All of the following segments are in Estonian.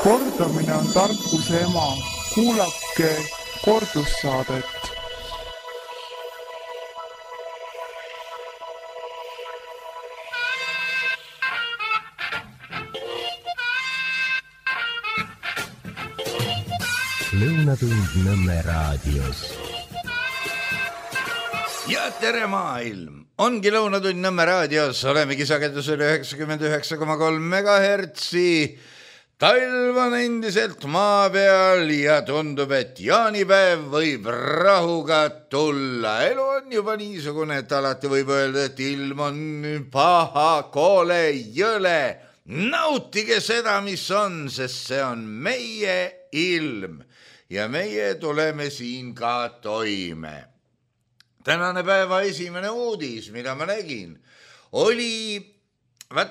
Kordamine on tarkuse ema. Kuulake kordussaadet. Lõunatund Nõmme raadios. Ja tere maailm! Ongi Lõunatund Nõmme raadios. Olemegi sagedusel 99,3 megahertsi. Talv on endiselt maa peal ja tundub, et jaanipäev võib rahuga tulla. Elu on juba niisugune, et alati võib öelda, et ilm on paha, koole, jõle. Nautige seda, mis on, sest see on meie ilm. Ja meie tuleme siin ka toime. Tänane päeva esimene uudis, mida ma nägin, oli,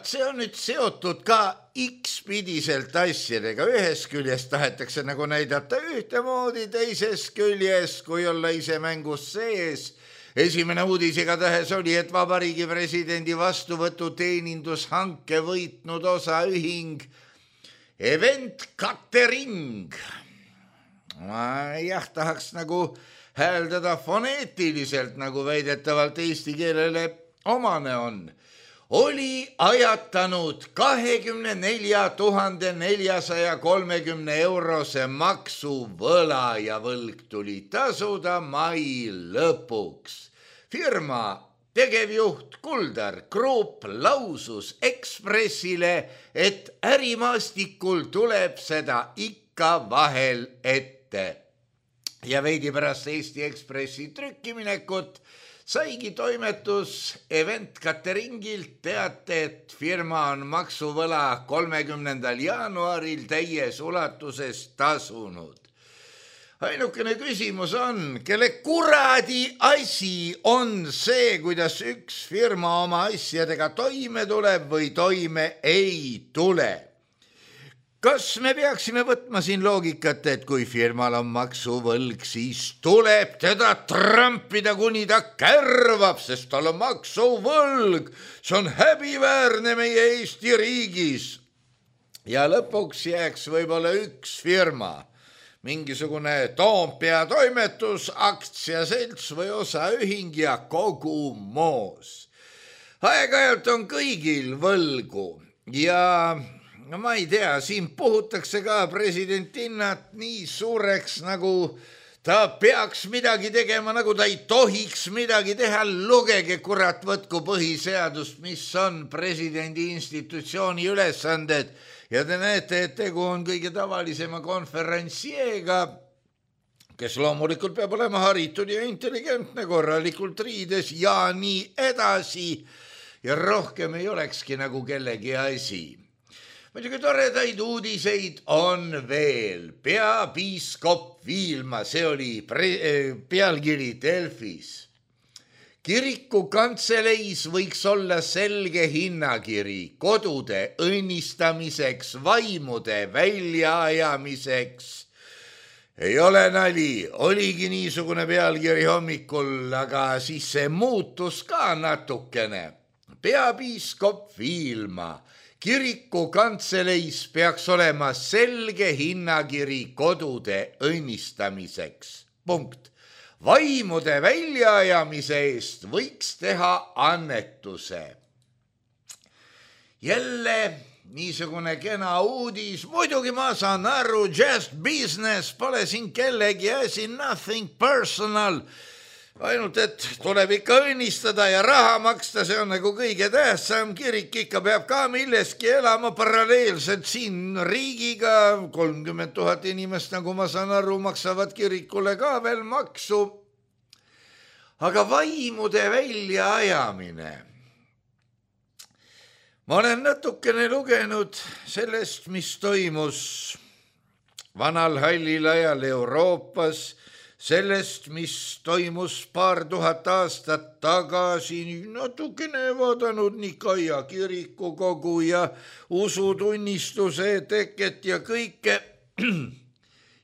see on nüüd seotud ka X-pidiselt asjadega. Ühes küljest tahetakse nagu näidata ühtemoodi, teises küljes, kui olla ise mängus sees. Esimene uudis igatahes oli, et Vabariigi presidendi vastuvõtu teenindushanke võitnud osaühing Event Catering. Ma tahaks nagu hääldada foneetiliselt, nagu väidetavalt eesti keelele omane on. Oli ajatanud 24 430 eurose maksuvõla ja võlg tuli tasuda mai lõpuks. Firma tegevjuht Kuldar Krupp lausus Ekspressile, et ärimaastikul tuleb seda ikka vahel ette. Ja veidi pärast Eesti Ekspressi trükkiminekut saigi toimetus Event Cateringilt teate, et firma on maksuvõla 30. jaanuaril täies ulatuses tasunud. Ainukene küsimus on, kelle kuradi asi on see, kuidas üks firma oma asjadega toime tuleb või toime ei tule. Kas me peaksime võtma siin loogikat, et kui firmal on maksuvõlg, siis tuleb teda trampida, kuni ta kärvab, sest tal on maksuvõlg. See on häbiväärne meie Eesti riigis. Ja lõpuks jääks võib-olla üks firma, mingisugune Toompea toimetus, aktsiaselts või osaühing ja kogu moos. Aeg-ajalt on kõigil võlgu ja no ma ei tea, siin puhutakse ka presidendinnat nii suureks, nagu ta peaks midagi tegema, nagu ta ei tohiks midagi teha. Lugege kurat, võtku põhiseadust, mis on presidendi institutsiooni ülesanded. Ja te näete, et tegu on kõige tavalisema konferentsieega, kes loomulikult peab olema haritud ja intelligentne, korralikult riides ja nii edasi. Ja rohkem ei olekski nagu kellegi asi. Muidugi toredaid uudiseid on veel. Peapiiskop Viilma, see oli pealkiri Delfis. Kiriku kantseleis võiks olla selge hinnakiri kodude õnnistamiseks, vaimude väljaajamiseks. Ei ole nali, oligi niisugune pealkiri hommikul, aga siis see muutus ka natukene. Peapiiskop Viilma. Kiriku kantseleis peaks olema selge hinnakiri kodude õnnistamiseks. Punkt. Vaimude väljaajamise eest võiks teha annetuse. Jälle niisugune kena uudis. Muidugi ma saan aru, just business, pole siin kellegi asi, nothing personal. Ainult, et tuleb ikka õnnistada ja raha maksta, see on nagu kõige tähtsam. Kirik ikka peab ka milleski elama paralleelselt siin riigiga. 30 000 inimest, nagu ma saan aru, maksavad kirikule ka veel maksu. Aga vaimude väljaajamine. Ma olen natukene lugenud sellest, mis toimus vanal hallil ajal Euroopas, sellest, mis toimus paar tuhat aastat tagasi, natukene vaadanud Nikaia kirikukogu ja usutunnistuse teket ja kõike.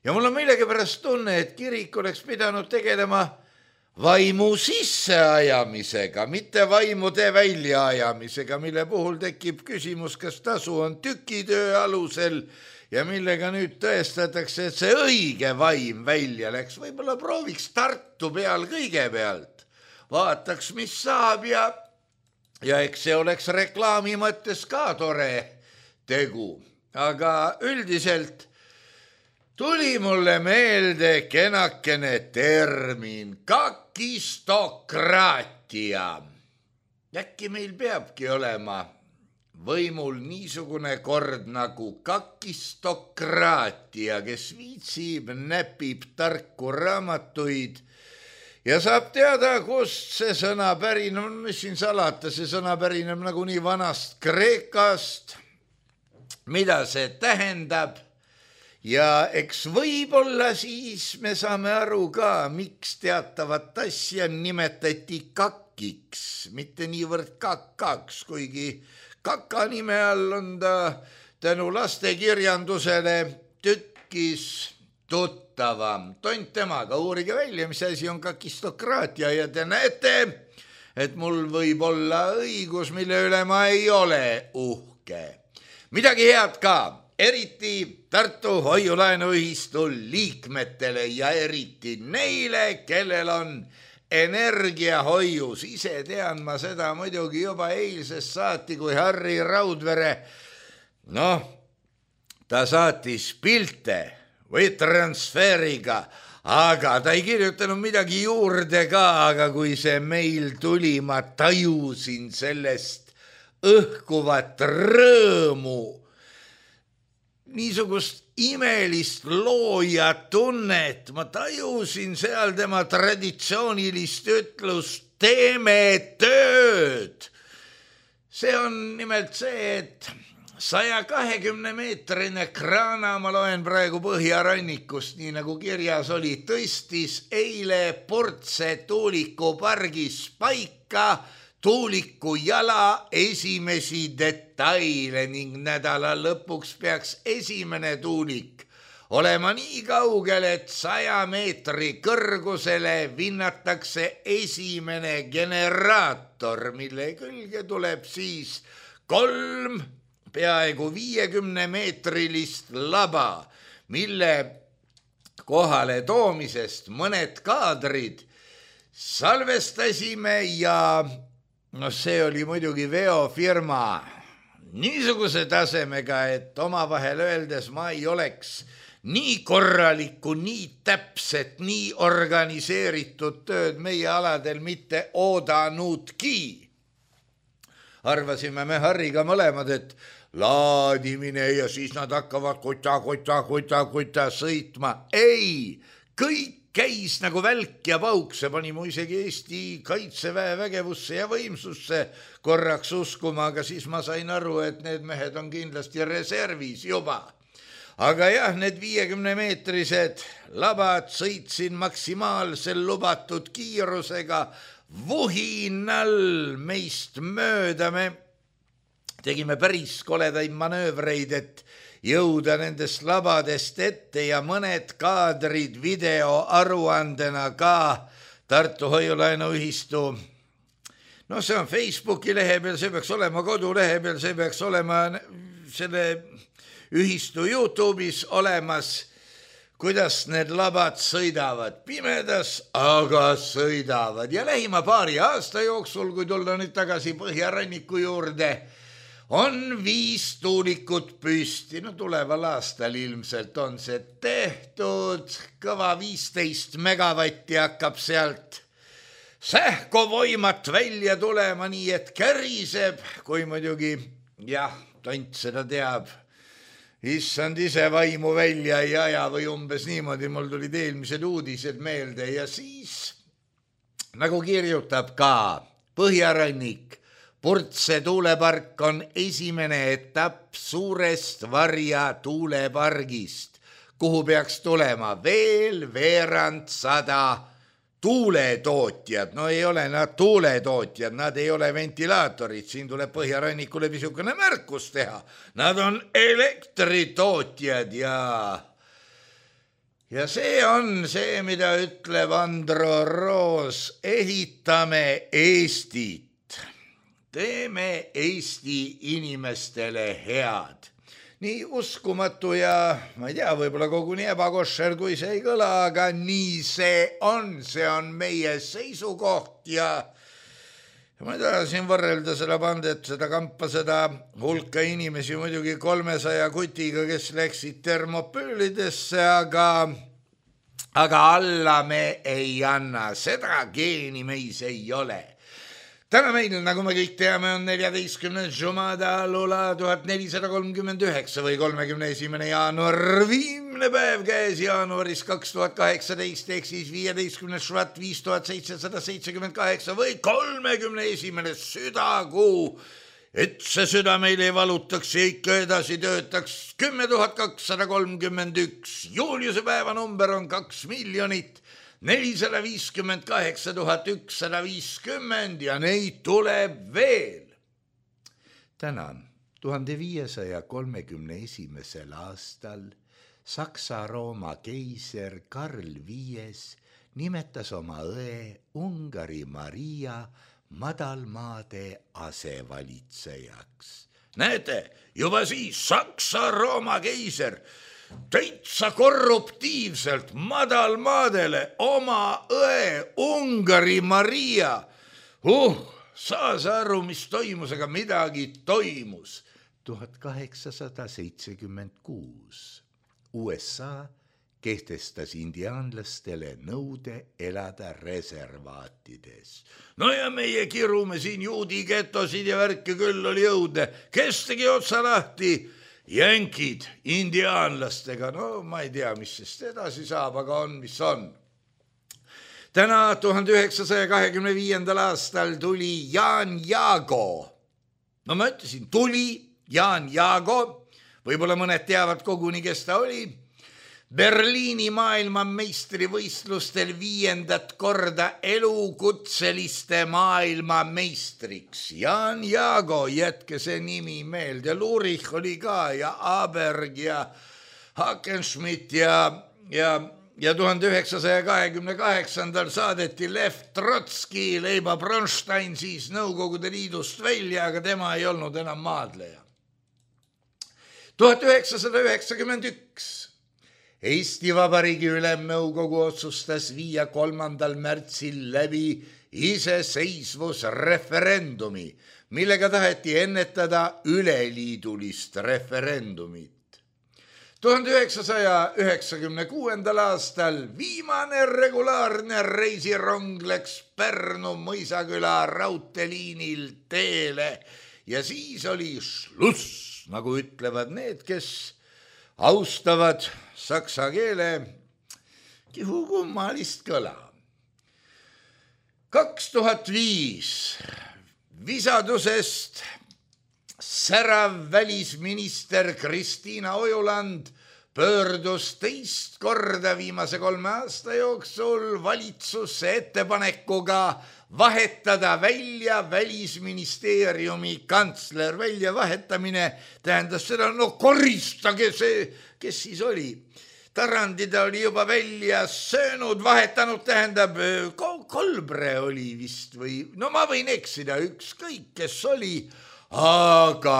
Ja mul on millegipärast tunne, et kirik oleks pidanud tegelema vaimu sisseajamisega, mitte vaimude väljaajamisega, mille puhul tekib küsimus, kas tasu on tükitöö alusel ja millega nüüd tõestatakse, et see õige vaim välja läks. Võib-olla prooviks Tartu peal kõigepealt, vaataks, mis saab ja eks see oleks reklaami mõttes ka tore tegu. Aga üldiselt tuli mulle meelde kenakene termin kakistokraatia. Äkki meil peabki olema võimul niisugune kord nagu kakistokraatia, kes viitsib, näpib tarku raamatuid ja saab teada, kust see sõna pärineb, mis siin salata, see sõna pärineb nagunii vanast Kreekast, mida see tähendab ja eks võib-olla siis me saame aru ka, miks teatavat asja nimetati kakiks, mitte niivõrd kakaks, kuigi kaka nime all on ta tänu lastekirjandusele tükkis tuttavam. Tont temaga, uurige välja, mis asi on kakistokraatia ja te näete, et mul võib olla õigus, mille üle ma ei ole uhke. Midagi head ka, eriti Tartu Hoiu-laenuühistu liikmetele ja eriti neile, kellel on energiahoius. Ise tean ma seda muidugi juba eilsest saati, kui Harri Raudvere, ta saatis pilte või transferiga, aga ta ei kirjutanud midagi juurde ka, aga kui see meil tuli, ma tajusin sellest õhkuvat rõõmu, niisugust imelist looja tunnet, ma tajusin seal tema traditsioonilist ütlust, teeme tööd. See on nimelt see, et 120-meetrine kraana, ma loen praegu Põhjarannikust, nii nagu kirjas oli, tõstis eile Purtse tuulikupargis paika tuuliku jala esimesi detaile ning nädala lõpuks peaks esimene tuulik olema nii kaugel, et 100 meetri kõrgusele vinnatakse esimene generaator, mille külge tuleb siis 3 peaaegu 50-meetrilist laba, mille kohale toomisest mõned kaadrid salvestasime ja see oli muidugi veofirma niisuguse tasemega, et omavahel öeldes ma ei oleks nii korralikku, nii täpset, nii organiseeritud tööd meie aladel mitte oodanudki. Arvasime me Harriga mõlemad, et laadimine ja siis nad hakkavad kuta sõitma. Ei, kõik käis nagu välk ja pauk, see pani mu isegi Eesti Kaitseväe vägevusse ja võimsusse korraks uskuma, aga siis ma sain aru, et need mehed on kindlasti reservis juba. Aga jah, need 50-meetrised labad sõitsin maksimaalsel lubatud kiirusega vuhinal meist mööda. Me tegime päris koledaid manöövreid, et jõuda nendest labadest ette ja mõned kaadrid videoaruandena ka Tartu Hoiu-laenuühistu. See on Facebooki lehe peal, see peaks olema kodulehe peal, see peaks olema selle ühistu YouTube'is olemas, kuidas need labad sõidavad pimedas, aga sõidavad. Ja lähima paari aasta jooksul, kui tulla nüüd tagasi Põhjaranniku juurde, on 5 tuulikut püsti. Tuleval aastal ilmselt on see tehtud, kõva 15 megavatti hakkab sealt sähkovoimat välja tulema, nii et käriseb, kui muidugi, tont seda teab, issand ise vaimu välja ei aja või umbes niimoodi. Mul tulid eelmised uudised meelde ja siis, nagu kirjutab ka Põhjarannik, Purtse tuulepark on esimene etapp suurest Varja tuulepargist, kuhu peaks tulema veel veerand 100 tuuletootjad. Ei ole nad tuuletootjad, nad ei ole ventilaatorid, siin tuleb Põhjarannikule pisukene märkus teha. Nad on elektritootjad Ja see on see, mida ütleb Andro Roos, ehitame Eestit. Teeme Eesti inimestele head. Nii uskumatu ja, ma ei tea, võib-olla koguni ebakoššer, kui see ei kõla, aga nii see on meie seisukoht ja ma ei taha siin võrrelda seda bandet, seda kampa, seda hulka inimesi muidugi 300 kutiga, kes läksid termopöölidesse, aga alla me ei anna, seda geeni meis ei ole. Täna meil, nagu me kõik teame, on 14. Jumada Lula 1439 või 31. jaanuar, viimne päev käes jaanuaris 2018, ehk siis 15. švat 5778 või 31. südakuu, et see süda meil ei valutaks ja ikka edasi töötaks 10 231. Juuliuse päeva number on 2 458 150 ja neid tuleb veel. Täna 1531. aastal Saksa-Rooma keiser Karl V nimetas oma õe Ungari Maria madalmaade asevalitsejaks. Näete, juba siis Saksa-Rooma keiser täitsa korruptiivselt madalmaadele oma õe Ungari Maria. Saas aru, mis toimus, aga midagi toimus. 1876 USA kehtestas indiaanlastele nõude elada reservaatides. No ja meie kirume siin juudi getosid ja värke küll oli jõudne. Kes tegi otsa lahti? Jänkid indiaanlastega, no ma ei tea, mis sest edasi saab, aga on, mis on. Täna 1925. aastal tuli Jaan Jaago. No ma ütlesin, tuli Jaan Jaago, võib-olla mõned teavad koguni, kes ta oli. Berliini maailmameistrivõistlustel 5. korda elukutseliste maailmameistriks. Jaan Jaago, jätke see nimi meelde. Lurich oli ka ja Aberg ja Hackenschmidt ja 1928. saadeti Lev Trotski, Leiba Bronstein siis Nõukogude Liidust välja, aga tema ei olnud enam maadleja. 1991 Eesti Vabariigi Ülemnõukogu otsustas viia 3. märtsil läbi iseseisvusreferendumi, millega taheti ennetada üleliidulist referendumit. 1996. aastal viimane regulaarne reisirong läks Pärnu Mõisaküla raudteeliinil teele ja siis oli šluss, nagu ütlevad need, kes austavad saksa keele kihukummalist kõla. 2005 visadusest särav välisminister Kristiina Ojuland pöördus teist korda viimase 3 aasta jooksul valitsusse ettepanekuga vahetada välja välisministeeriumi kantsler. Väljavahetamine tähendas seda, no koristage see, kes siis oli. Tarandi ta oli juba välja söönud, vahetanud tähendab, Kolbre oli vist või, no ma võin eksida, ükskõik kes oli, aga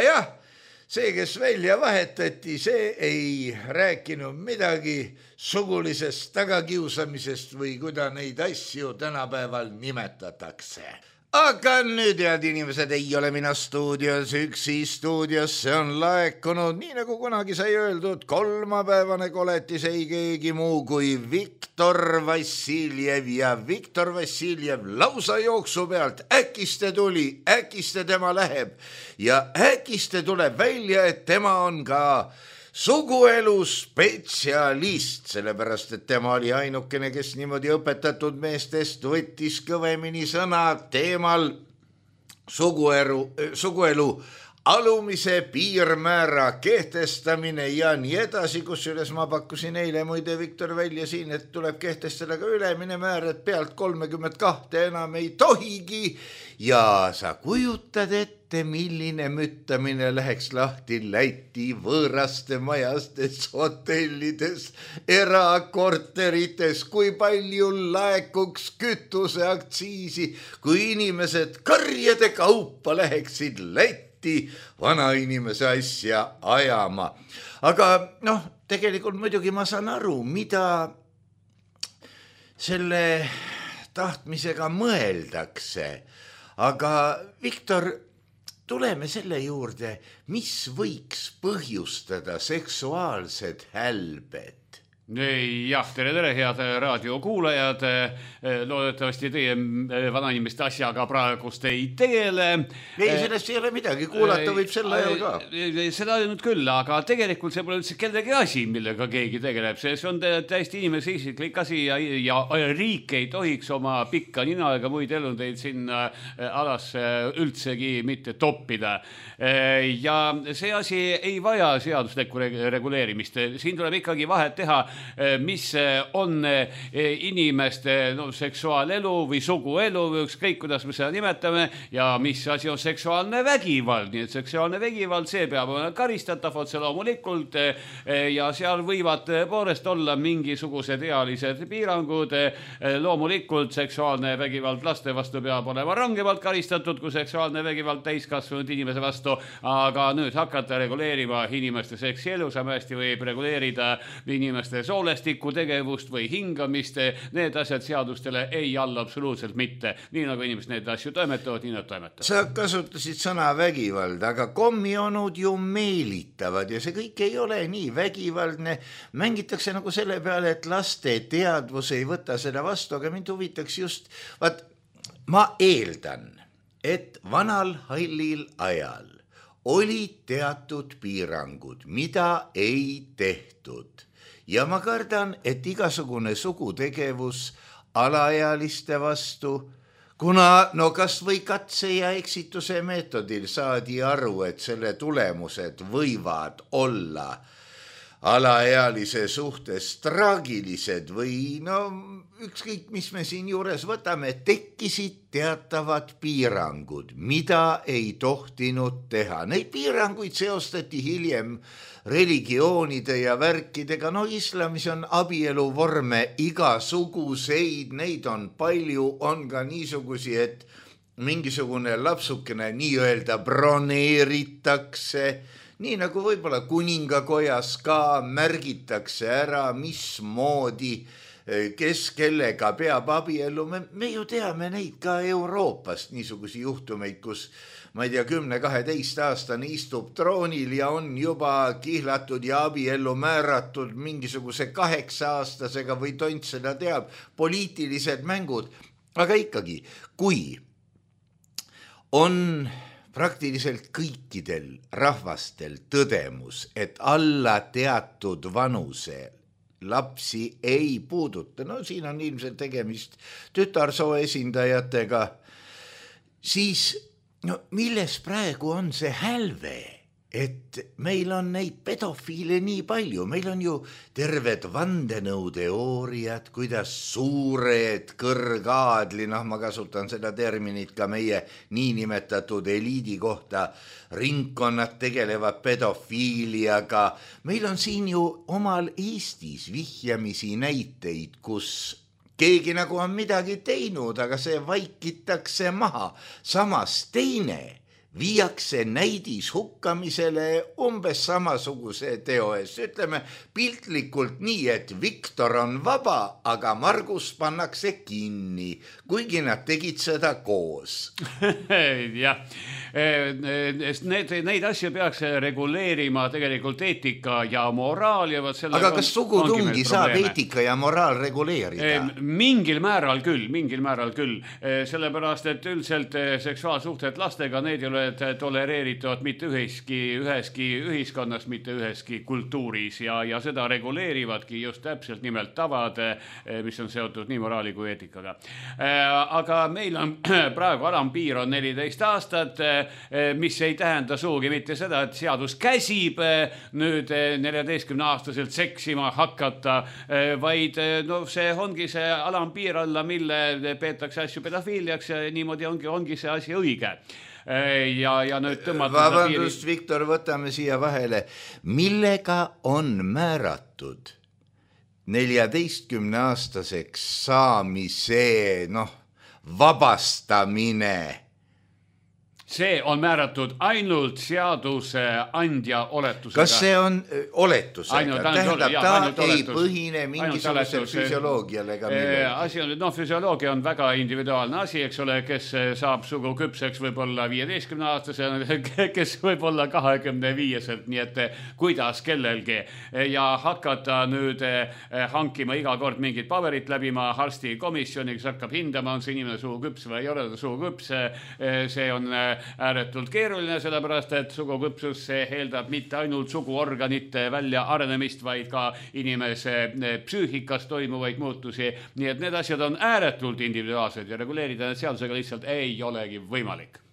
jah, see, kes välja vahetati, see ei rääkinud midagi sugulisest tagakiusamisest või kuida neid asju tänapäeval nimetatakse. Aga nüüd, head inimesed, ei ole mina stuudios üksi, stuudiosse on laekunud, nii nagu kunagi sai öeldud, kolmapäevane koletis ei keegi muu kui Viktor Vassiljev ja Viktor Vassiljev lausa jooksu pealt, äkiste tuli, äkiste tema läheb ja äkiste tuleb välja, et tema on ka suguelu spetsialist, sellepärast et tema oli ainukene, kes niimoodi õpetatud meestest võttis kõvemini sõna teemal suguelu alumise piirmäära kehtestamine ja nii edasi, kusjuures ma pakkusin eile muide Viktor välja siin, et tuleb kehtestada ka ülemine määr, et pealt 32 enam ei tohigi ja sa kujutad ette, milline müttamine läheks lahti Läti võõraste majastes, hotellides, erakorterites, kui palju laekuks kütuseaktsiisi, kui inimesed karjade kaupa läheksid Lätti vanainimese asja ajama. Aga tegelikult muidugi ma saan aru, mida selle tahtmisega mõeldakse. Aga Viktor, tuleme selle juurde, mis võiks põhjustada seksuaalsed hälbed? Jah, tere, head raadiokuulajad. Loodetavasti teie vanainimeste asjaga praegust ei teele. Ei, sellest ei ole midagi, kuulata võib selle ajal ka. Seda nüüd küll, aga tegelikult see pole üldse kellegi asi, millega keegi tegeleb. See on täiesti inimese isiklik asi ja riik ei tohiks oma pikka nina ega muid elundeid sinna alasse üldsegi mitte toppida. Ja see asi ei vaja seaduslikku reguleerimist. Siin tuleb ikkagi vahet teha, mis on inimeste seksuaalelu või suguelu või ükskõik, kuidas me seda nimetame, ja mis asi on seksuaalne vägivald. Nii et seksuaalne vägivald, see peab olema karistatav otse loomulikult ja seal võivad poolest olla mingisugused ealised piirangud. Loomulikult seksuaalne vägivald laste vastu peab olema rangemalt karistatud kui seksuaalne vägivald täiskasvanud inimese vastu, aga nüüd hakata reguleerima inimeste seksielu, samasti võib reguleerida inimeste soolestiku tegevust või hingamist, need asjad seadustele ei alla absoluutselt mitte. Nii nagu inimesed need asju toimetavad, nii nad toimetavad. Sa kasutasid sõna vägivald, aga kommionud ju meelitavad ja see kõik ei ole nii vägivaldne. Mängitakse nagu selle peale, et laste teadvus ei võta seda vastu, aga mind huvitaks just, ma eeldan, et vanal hallil ajal olid teatud piirangud, mida ei tehtud. Ja ma kardan, et igasugune sugutegevus alaealiste vastu, kuna kas või katse ja eksituse meetodil saadi aru, et selle tulemused võivad olla alaealise suhtes traagilised või ükskõik, mis me siin juures võtame, tekkisid teatavad piirangud, mida ei tohtinud teha. Neid piiranguid seostati hiljem religioonide ja värkidega. Islamis on abieluvorme igasuguseid, neid on palju, on ka niisugusi, et mingisugune lapsukene nii-öelda broneeritakse, nii nagu võib-olla kuningakojas ka märgitakse ära, mismoodi, kes kellega peab abiellu. Me ju teame neid ka Euroopast, niisugusi juhtumeid, kus ma ei tea, 10-12 aastane istub troonil ja on juba kihlatud ja abiellu määratud mingisuguse 8-aastasega või tont seda teab, poliitilised mängud. Aga ikkagi, kui on praktiliselt kõikidel rahvastel tõdemus, et alla teatud vanuse lapsi ei puuduta, siin on ilmselt tegemist tütarsoo esindajatega, siis milles praegu on see hälve, et meil on neid pedofiile nii palju, meil on ju terved vandenõuteooriad, kuidas suured kõrgaadli, ma kasutan seda terminit ka meie niinimetatud eliidi kohta, ringkonnad tegelevad pedofiiliaga. Meil on siin ju omal Eestis vihjamisi näiteid, kus keegi nagu on midagi teinud, aga see vaikitakse maha. Samas teine viiakse näidis hukkamisele umbes samasuguse teo ees. Ütleme piltlikult nii, et Viktor on vaba, aga Margus pannakse kinni, kuigi nad tegid seda koos. Jah, neid asju peaks reguleerima tegelikult eetika ja moraal. Ja aga kas sugutungi saab eetika ja moraal reguleerida? Mingil määral küll. Sellepärast, et üldiselt seksuaalsuhted lastega, need ei ole tolereeritud mitte üheski ühiskonnas, mitte üheski kultuuris ja seda reguleerivadki just täpselt nimelt tavad, mis on seotud nii moraali kui eetikaga. Aga meil on praegu alampiir on 14 aastat, mis ei tähenda suugi mitte seda, et seadus käsib nüüd 14-aastaselt seksima hakata, vaid no see ongi see alampiir alla, mille peetakse asju pedofiiliaks ja niimoodi ongi see asi õige. Ja nüüd vabandust, Viktor, võtame siia vahele. Millega on määratud 14-aastaseks saamise vabastamine? See on määratud ainult seaduse andja oletusega. Kas see on oletusega? Tähendab, ta ei põhine mingisugusel füsioloogiale ega millegi. Füsioloogia on väga individuaalne asi, eks ole, kes saab sugu küpseks võib-olla 15-aastase, kes võib-olla 25-selt, nii et kuidas kellelgi. Ja hakata nüüd hankima iga kord mingit paberit läbima arsti komisjoni, kes hakkab hindama, on see inimene sugu küps või ei ole ta sugu küps. See on ääretult keeruline, sellepärast, et suguküpsus eeldab mitte ainult suguorganite välja arenemist, vaid ka inimese psüühikas toimuvaid muutusi. Nii et need asjad on ääretult individuaalsed ja reguleerida need seadusega lihtsalt ei olegi võimalik.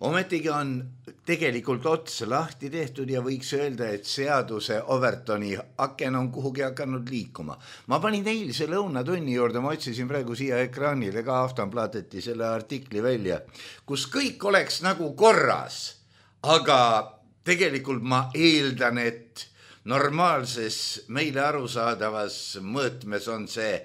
Ometigi on tegelikult ots lahti tehtud ja võiks öelda, et seaduse Overtoni aken on kuhugi hakanud liikuma. Ma panin eilse lõunatunni juurde, ma otsisin praegu siia ekraanile ka Aftonbladeti selle artikli välja, kus kõik oleks nagu korras, aga tegelikult ma eeldan, et normaalses meile arusaadavas mõõtmes on see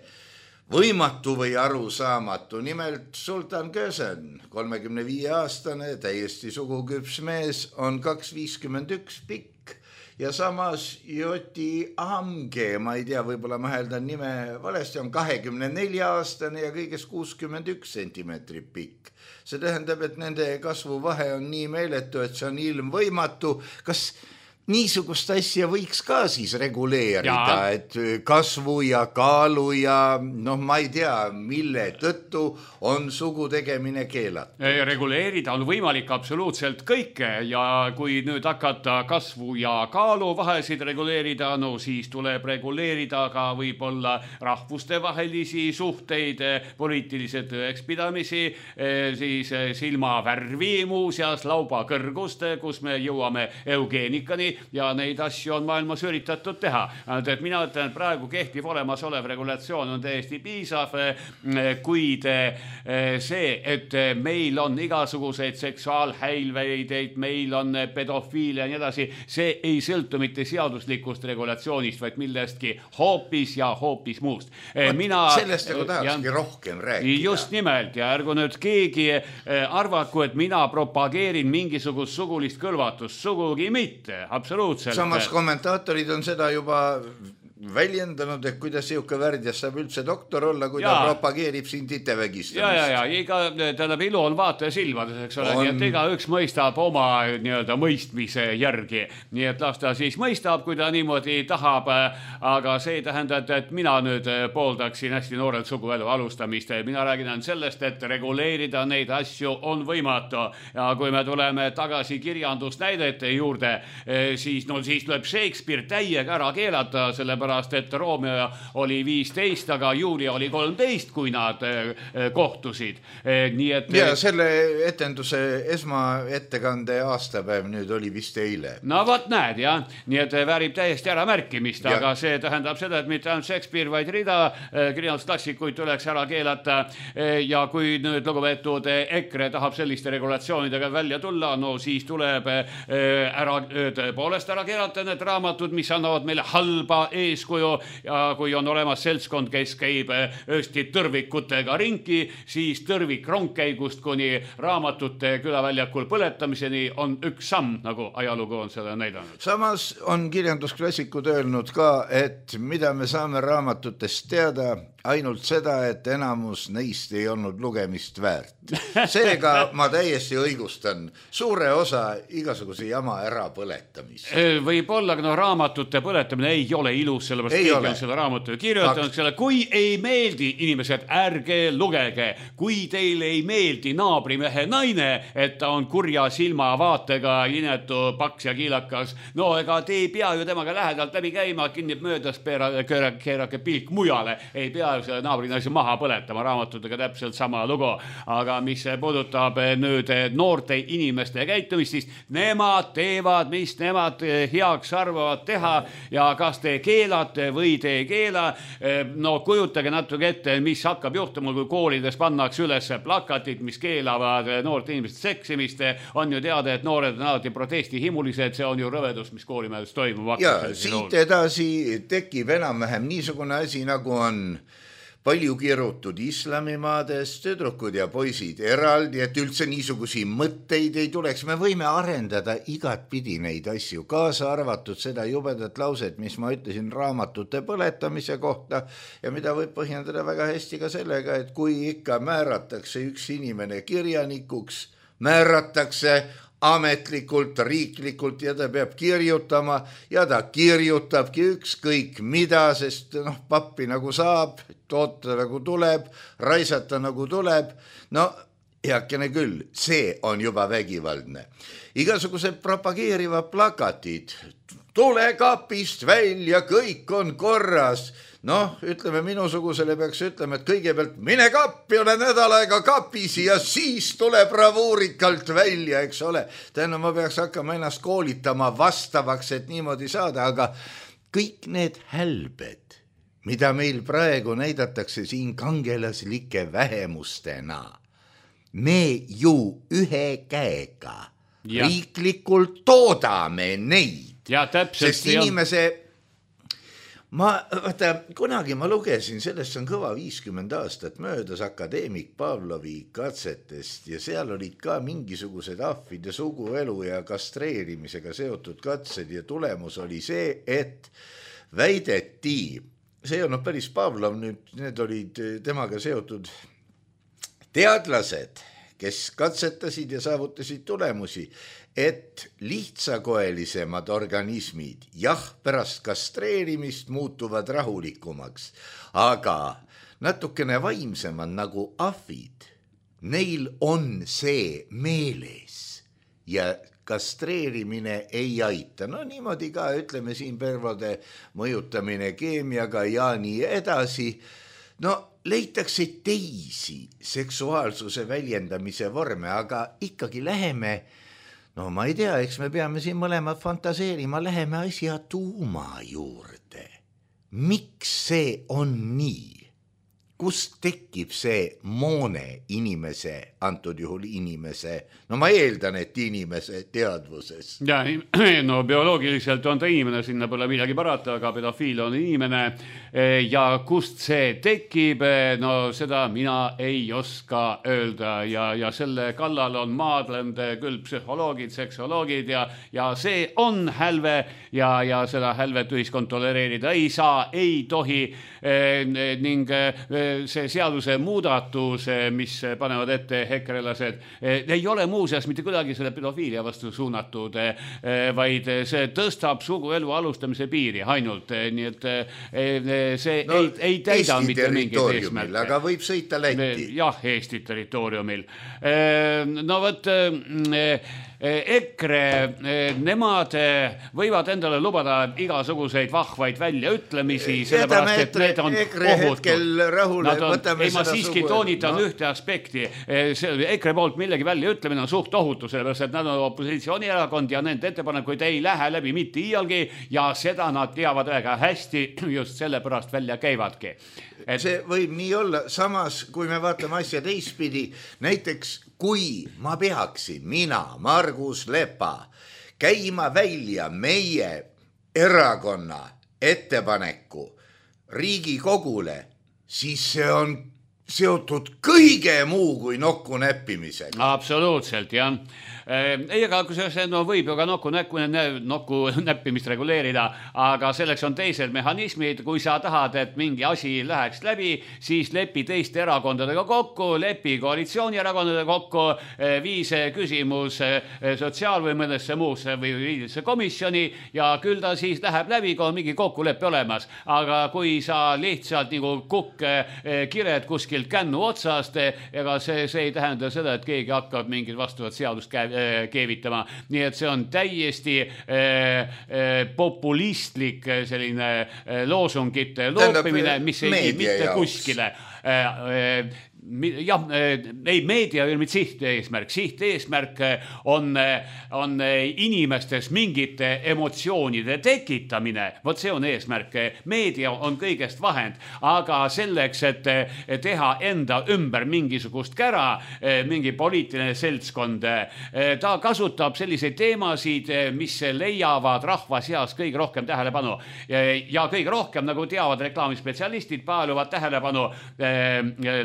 võimatu või arusaamatu. Nimelt Sultan Kösen, 35-aastane, täiesti suguküps mees, on 2,51 pikk ja samas Joti Amge, ma ei tea, võib-olla ma hääldan nime valesti, on 24-aastane ja kõigest 61 sentimeetri pikk. See tähendab, et nende kasvuvahe on nii meeletu, et see on ilmvõimatu. Kas niisugust asja võiks ka siis reguleerida, et kasvu ja kaalu ja ma ei tea, mille tõttu on sugu tegemine keelatud. Reguleerida on võimalik absoluutselt kõike ja kui nüüd hakata kasvu ja kaalu vahesid reguleerida, siis tuleb reguleerida ka võib-olla rahvuste vahelisi suhteid, poliitilise tõekspidamisi, siis silmavärvi, muuseas lauba kõrgust, kus me jõuame eugeenikani, ja neid asju on maailmas üritatud teha. Et mina ütlen, et praegu kehtiv olemasolev regulatsioon on täiesti piisav, kuid see, et meil on igasuguseid seksuaalhäilveid, meil on pedofiilia ja nii edasi, see ei sõltu mitte seaduslikust regulatsioonist, vaid millestki hoopis ja hoopis muust. Sellest nagu tahakski rohkem rääkida. Just nimelt, ja ärgu nüüd keegi arvaku, et mina propageerin mingisugust sugulist kõlvatust, sugugi mitte, absoluutselt. Samas kommentaatorid on seda juba väljendanud, et kuidas siuke värdjas saab üldse doktor olla, kui ta propageerib siin titevägistamist. Tähendab, ilu on vaataja silmades, eks ole, nii et igaüks mõistab oma mõistmise järgi. Nii et las ta siis mõistab, kui ta niimoodi tahab, aga see ei tähenda, et mina nüüd pooldaksin hästi noorelt suguelu alustamist. Mina räägin sellest, et reguleerida neid asju on võimatu. Ja kui me tuleme tagasi kirjandusnäidete juurde, siis tuleb Shakespeare täiega ära keelata, sellepärast et Romeo oli 15, aga Julia oli 13, kui nad kohtusid. Ja selle etenduse esmaettekande aastapäev nüüd oli vist eile. No võt näed, jah. Nii et väärib täiesti ära märkimist, aga see tähendab seda, et mitte ainult Shakespeare, vaid rida kirjandusklassikuid tuleks ära keelata. Ja kui nüüd lugupeetud EKRE tahab selliste regulatsioonidega välja tulla, siis tuleb tõepoolest ära keelata need raamatud, mis annavad meile halba eeskuju ja kui on olemas seltskond, kes käib öösti tõrvikutega ringi, siis tõrvik rongkäigust kuni raamatute külaväljakul põletamiseni on üks samm, nagu ajalugu on seda näidanud. Samas on kirjandusklassikud öelnud ka, et mida me saame raamatutest teada, ainult seda, et enamus neist ei olnud lugemist väärt. Seega ma täiesti õigustan suure osa igasuguse jama ära põletamist. Võib-olla, aga raamatute põletamine ei ole ilus, sellepärast keegi on selle raamatu kirjutanud selle, kui ei meeldi, inimesed, ärge lugege, kui teile ei meeldi naabrimehe naine, et ta on kurja silmavaatega, inetu, paks ja kiilakas, no ega te ei pea ju temaga lähedalt läbi käima, kinnib möödas, keerake pilk mujale, ei pea ju selle naabrinaisi maha põletama, raamatutega täpselt sama lugu, aga mis puudutab nüüd noorte inimeste käitumistist, nemad teevad, mis nemad heaks arvavad teha ja kas te keelate või te ei keela, no kujutage natuke ette, mis hakkab juhtuma, kui koolides pannakse üles plakatid, mis keelavad noorte inimeste seksimist, on ju teada, et noored on alati protestihimulised, see on ju rõvedus, mis koolimajades toimub. Ja siit edasi tekib enam-vähem niisugune asi, nagu on palju kirutud islamimaades, tüdrukud ja poisid eraldi, et üldse niisugusi mõtteid ei tuleks. Me võime arendada igatpidi neid asju, kaasa arvatud seda jubedat lauset, mis ma ütlesin raamatute põletamise kohta ja mida võib põhjendada väga hästi ka sellega, et kui ikka määratakse üks inimene kirjanikuks, määratakse ametlikult, riiklikult ja ta peab kirjutama ja ta kirjutabki ükskõik mida, sest pappi nagu saab, toota nagu tuleb, raisata nagu tuleb, no heakene küll, see on juba vägivaldne. Igasugused propageerivad plakatid, tule kapist välja, kõik on korras. Ütleme minusugusele peaks ütlema, et kõigepealt mine kappi, ole nädal aega kapis ja siis tule bravuurikalt välja, eks ole. Täna ma peaks hakkama ennast koolitama vastavaks, et niimoodi saada, aga kõik need hälbed, mida meil praegu näidatakse siin kangelaslike vähemustena, me ju ühe käega riiklikult toodame neid. Ja täpselt. Sest inimese... kunagi ma lugesin, sellest on kõva 50 aastat möödas akadeemik Pavlovi katsetest ja seal olid ka mingisugused ahvide suguelu ja kastreerimisega seotud katsed ja tulemus oli see, et väideti, see on päris Pavlov, need olid temaga seotud teadlased, kes katsetasid ja saavutasid tulemusi, et lihtsakoelisemad organismid, pärast kastreerimist muutuvad rahulikumaks, aga natukene vaimsemad nagu ahvid, neil on see meeles ja kastreerimine ei aita. Niimoodi ka, ütleme siin pervode mõjutamine keemiaga ja nii edasi. Leitakse teisi seksuaalsuse väljendamise vorme, aga ikkagi läheme, ma ei tea, eks me peame siin mõlemad fantaseerima, läheme asja tuuma juurde. Miks see on nii? Kust tekib see moone inimese, antud juhul inimese, ma eeldan, et inimese teadvuses. Ja, bioloogiliselt on ta inimene, sinna pole midagi parata, aga pedofiil on inimene ja kust see tekib, seda mina ei oska öelda ja selle kallal on maadlenud küll psühholoogid, seksoloogid ja see on hälve ja seda hälvet ühiskond tolereerida ei saa, ei tohi ning see seaduse muudatus, mis panevad ette hekrelased, ei ole muuseas mitte kuidagi selle pedofiilia vastu suunatud, vaid see tõstab suguelu alustamise piiri ainult, nii et see ei täida mitte mingeid eesmärke. Aga võib sõita Lätti. Jah, Eesti territooriumil. EKRE, nemad võivad endale lubada igasuguseid vahvaid väljaütlemisi, sellepärast, et need on ohutud. Ma siiski toonitan ühte aspekti. EKRE poolt millegi väljaütlemine on suht ohutu, sellepärast, et nad on opositsioonierakond ja nende ettepanekuid ei lähe läbi mitte iialgi ja seda nad teavad väga hästi, just sellepärast välja käivadki. See võib nii olla, samas kui me vaatame asja teistpidi, näiteks kui ma peaksin, mina, Margus Lepa, käima välja meie erakonna ettepaneku Riigikogule, siis see on seotud kõige muu kui nokku näppimisega. Absoluutselt, jah. ega kusjuures no võib ju ka nokku näppimist reguleerida, aga selleks on teised mehhanismid. Kui sa tahad, et mingi asi läheks läbi, siis lepi teiste erakondadega kokku, lepi koalitsioonierakondadega kokku, vii see küsimus sotsiaal- või mõnesse muusse või juriidilisse komisjoni ja küll ta siis läheb läbi, kui on mingi kokkuleppe olemas. Aga kui sa lihtsalt nagu kukk kired kuskilt kännu otsast, ega see ei tähenda seda, et keegi hakkab mingit vastavat seadust keevitama. Nii et see on täiesti populistlik selline loosungite loopimine, mis ei vii mitte kuskile. Jah, ei meedia ei ole mitte sihteesmärk. Sihteesmärk on inimestes mingite emotsioonide tekitamine. Vot see on eesmärk. Meedia on kõigest vahend, aga selleks, et teha enda ümber mingisugust kära, mingi poliitiline seltskond, ta kasutab selliseid teemasid, mis leiavad rahva seas kõige rohkem tähelepanu. Ja kõige rohkem, nagu teavad reklaamispetsialistid, paeluvad tähelepanu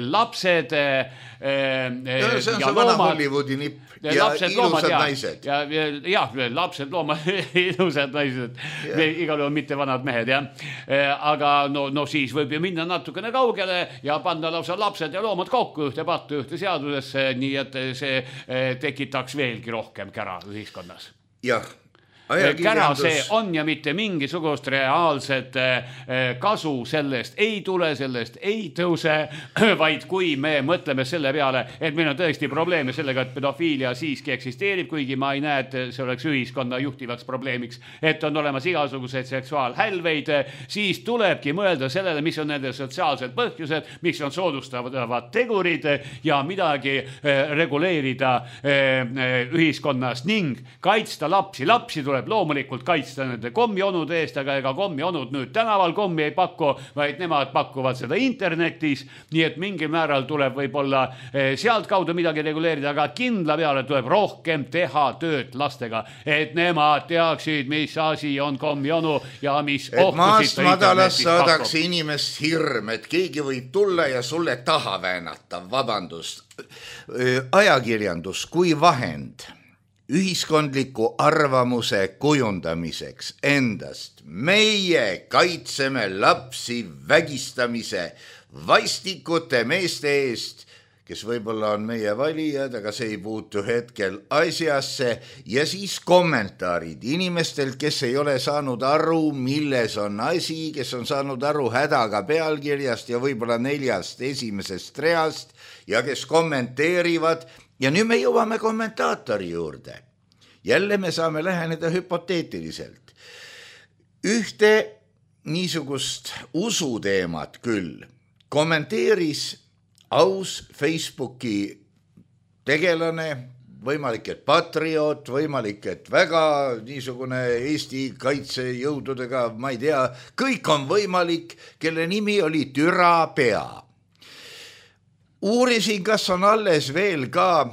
lapsed, see on see vana Hollywoodi nipp ja ilusad naised. Jah, lapsed, loomad, ilusad naised, igal juhul mitte vanad mehed, jah. Aga no siis võib ju minna natukene kaugele ja panna lausa lapsed ja loomad kokku ühte pattu, ühte seadusesse, nii et see tekitaks veelgi rohkem kära ühiskonnas. Jah. Kära see on ja mitte mingisugust reaalset kasu sellest ei tule, sellest ei tõuse, vaid kui me mõtleme selle peale, et meil on tõesti probleeme sellega, et pedofiilia siiski eksisteerib, kuigi ma ei näe, et see oleks ühiskonna juhtivaks probleemiks, et on olemas igasuguseid seksuaalhälveid, siis tulebki mõelda sellele, mis on nende sotsiaalsed põhjused, mis on soodustavad tegurid ja midagi reguleerida ühiskonnas ning kaitsta lapsi. Lapsi tuleb loomulikult kaitsta nende kommionude eest, aga ega kommionud nüüd tänaval kommi ei paku, vaid nemad pakuvad seda internetis, nii et mingil määral tuleb võib-olla sealt kaudu midagi reguleerida, aga kindla peale tuleb rohkem teha tööd lastega, et nemad teaksid, mis asi on kommionu ja mis ohtusid maast madalas saadaks inimest hirm, et keegi võib tulla ja sulle taha väänata, vabandust. Ajakirjandus kui vahend ühiskondliku arvamuse kujundamiseks endast. Meie kaitseme lapsi vägistamise vastikute meeste eest, kes võib-olla on meie valijad, aga see ei puutu hetkel asjasse. Ja siis kommentaarid inimestelt, kes ei ole saanud aru, milles on asi, kes on saanud aru hädaga pealkirjast ja võib-olla 4 esimesest reast ja kes kommenteerivad. Ja nüüd me jõuame kommentaatori juurde. Jälle me saame läheneda hüpoteetiliselt. Ühte niisugust usuteemat küll kommenteeris aus Facebooki tegelane, võimalik, et patrioot, võimalik, et väga niisugune Eesti kaitsejõududega, ma ei tea, kõik on võimalik, kelle nimi oli Türa Pea. Uurisin, kas on alles veel ka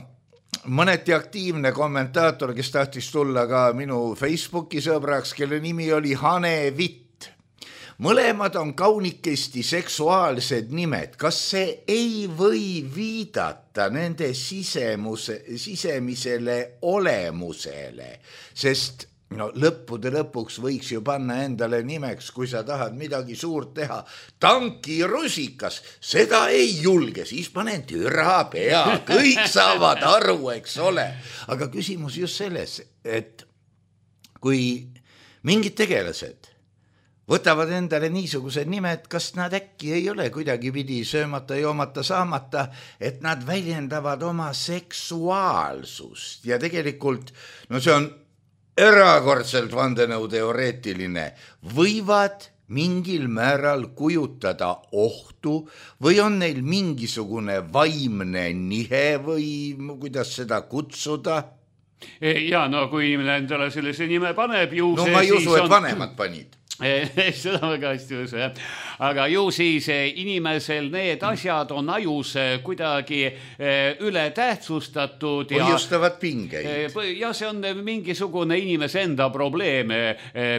mõneti aktiivne kommentaator, kes tahtis tulla ka minu Facebooki sõbraks, kelle nimi oli Hane Vitt. Mõlemad on kaunikesti seksuaalsed nimed. Kas see ei või viidata nende sisemisele olemusele? Sest lõppude lõpuks võiks ju panna endale nimeks, kui sa tahad midagi suurt teha. Tankirusikas, seda ei julge, siis panen Türa Pea, kõik saavad aru, eks ole. Aga küsimus just selles, et kui mingid tegelased võtavad endale niisugused nimed, kas nad äkki ei ole kuidagi pidi söömata, joomata, saamata, et nad väljendavad oma seksuaalsust ja tegelikult, see on erakordselt vandenõuteoreetiline, võivad mingil määral kujutada ohtu või on neil mingisugune vaimne nihe või kuidas seda kutsuda? Ja kui inimene endale sellise nime paneb, ma ei usu, et vanemad panid. Seda väga hästi usu, jah. aga ju siis inimesel need asjad on ajus kuidagi üle tähtsustatud. Põhjustavad pingeid. Ja see on mingisugune inimese enda probleem,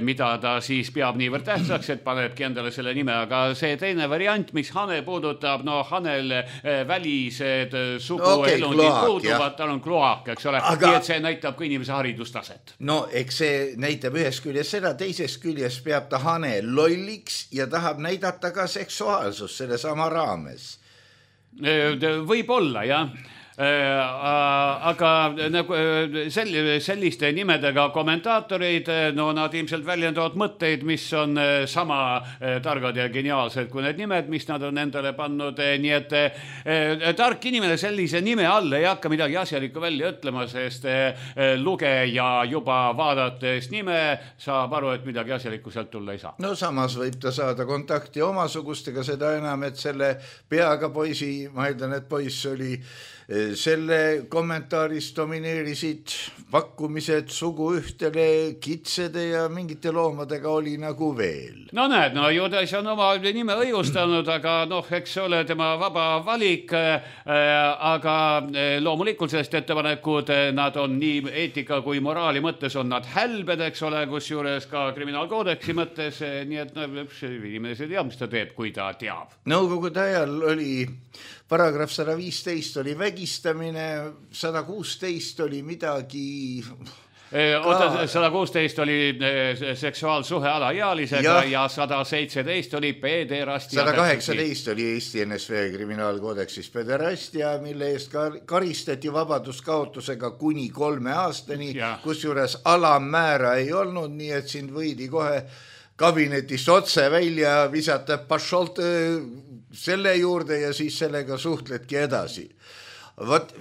mida ta siis peab niivõrd tähtsaks, et panebki endale selle nime, aga see teine variant, mis Hane puudutab, no Hanel välised suguelundid puuduvad, tal on kloak, eks ole, nii et see näitab ka inimese haridustaset. No eks see näitab ühest küljest seda, teisest küljest peab ta Hane lolliks ja tahab näidata ka seksuaalsust selle sama raames. Võib-olla, jah. Aga nagu selliste nimedega kommentaatorid, no nad ilmselt väljendavad mõtteid, mis on sama targad ja geniaalsed kui need nimed, mis nad on endale pannud, nii et tark inimene sellise nime all ei hakka midagi asjalikku välja ütlema, sest lugeja juba vaadates nime saab aru, et midagi asjalikku sealt tulla ei saa. No samas võib ta saada kontakti omasugustega, seda enam, et selle peaga poisi, ma eeldan, et poiss oli selle kommentaaris domineerisid pakkumised suguühtele, kitsede ja mingite loomadega oli nagu veel. No näed, no Judas on oma nime õigustanud, aga noh, eks ole tema vaba valik, aga loomulikult sellest ettepanekud, nad on nii eetika kui moraali mõttes on nad hälbed, eks ole, kus juures ka kriminaalkoodeksi mõttes, nii et inimene see teab, mis ta teeb, kui ta teab. Nõukogude ajal oli paragrahv 115 oli vägistamine, 116 oli midagi... 116 oli seksuaalsuhe alaealisega ja 117 oli pederastia. 118 oli Eesti NSV kriminaalkoodeksis pederastia, mille eest karistati vabaduskaotusega kuni 3 aastani, kus juures alammäära ei olnud, nii et sind võidi kohe kabinetist otse välja visata pašolt selle juurde ja siis sellega suhtledki edasi. Vot,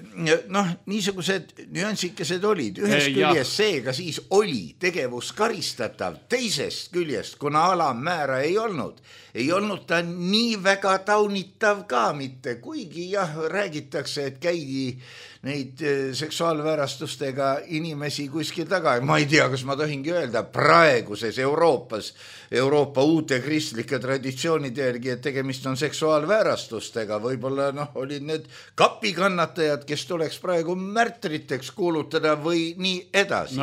noh, niisugused nüansikesed olid. Ühest küljest seega siis oli tegevus karistatav, teisest küljest, kuna alammäära ei olnud ta nii väga taunitav ka mitte, kuigi jah, räägitakse, et käidi neid seksuaalväärastustega inimesi kuskil taga. Ma ei tea, kas ma tohingi öelda praeguses Euroopa uute kristlike traditsioonide järgi, et tegemist on seksuaalväärastustega. Võib-olla olid need kapikannatajad, kes tuleks praegu märtriteks kuulutada või nii edasi.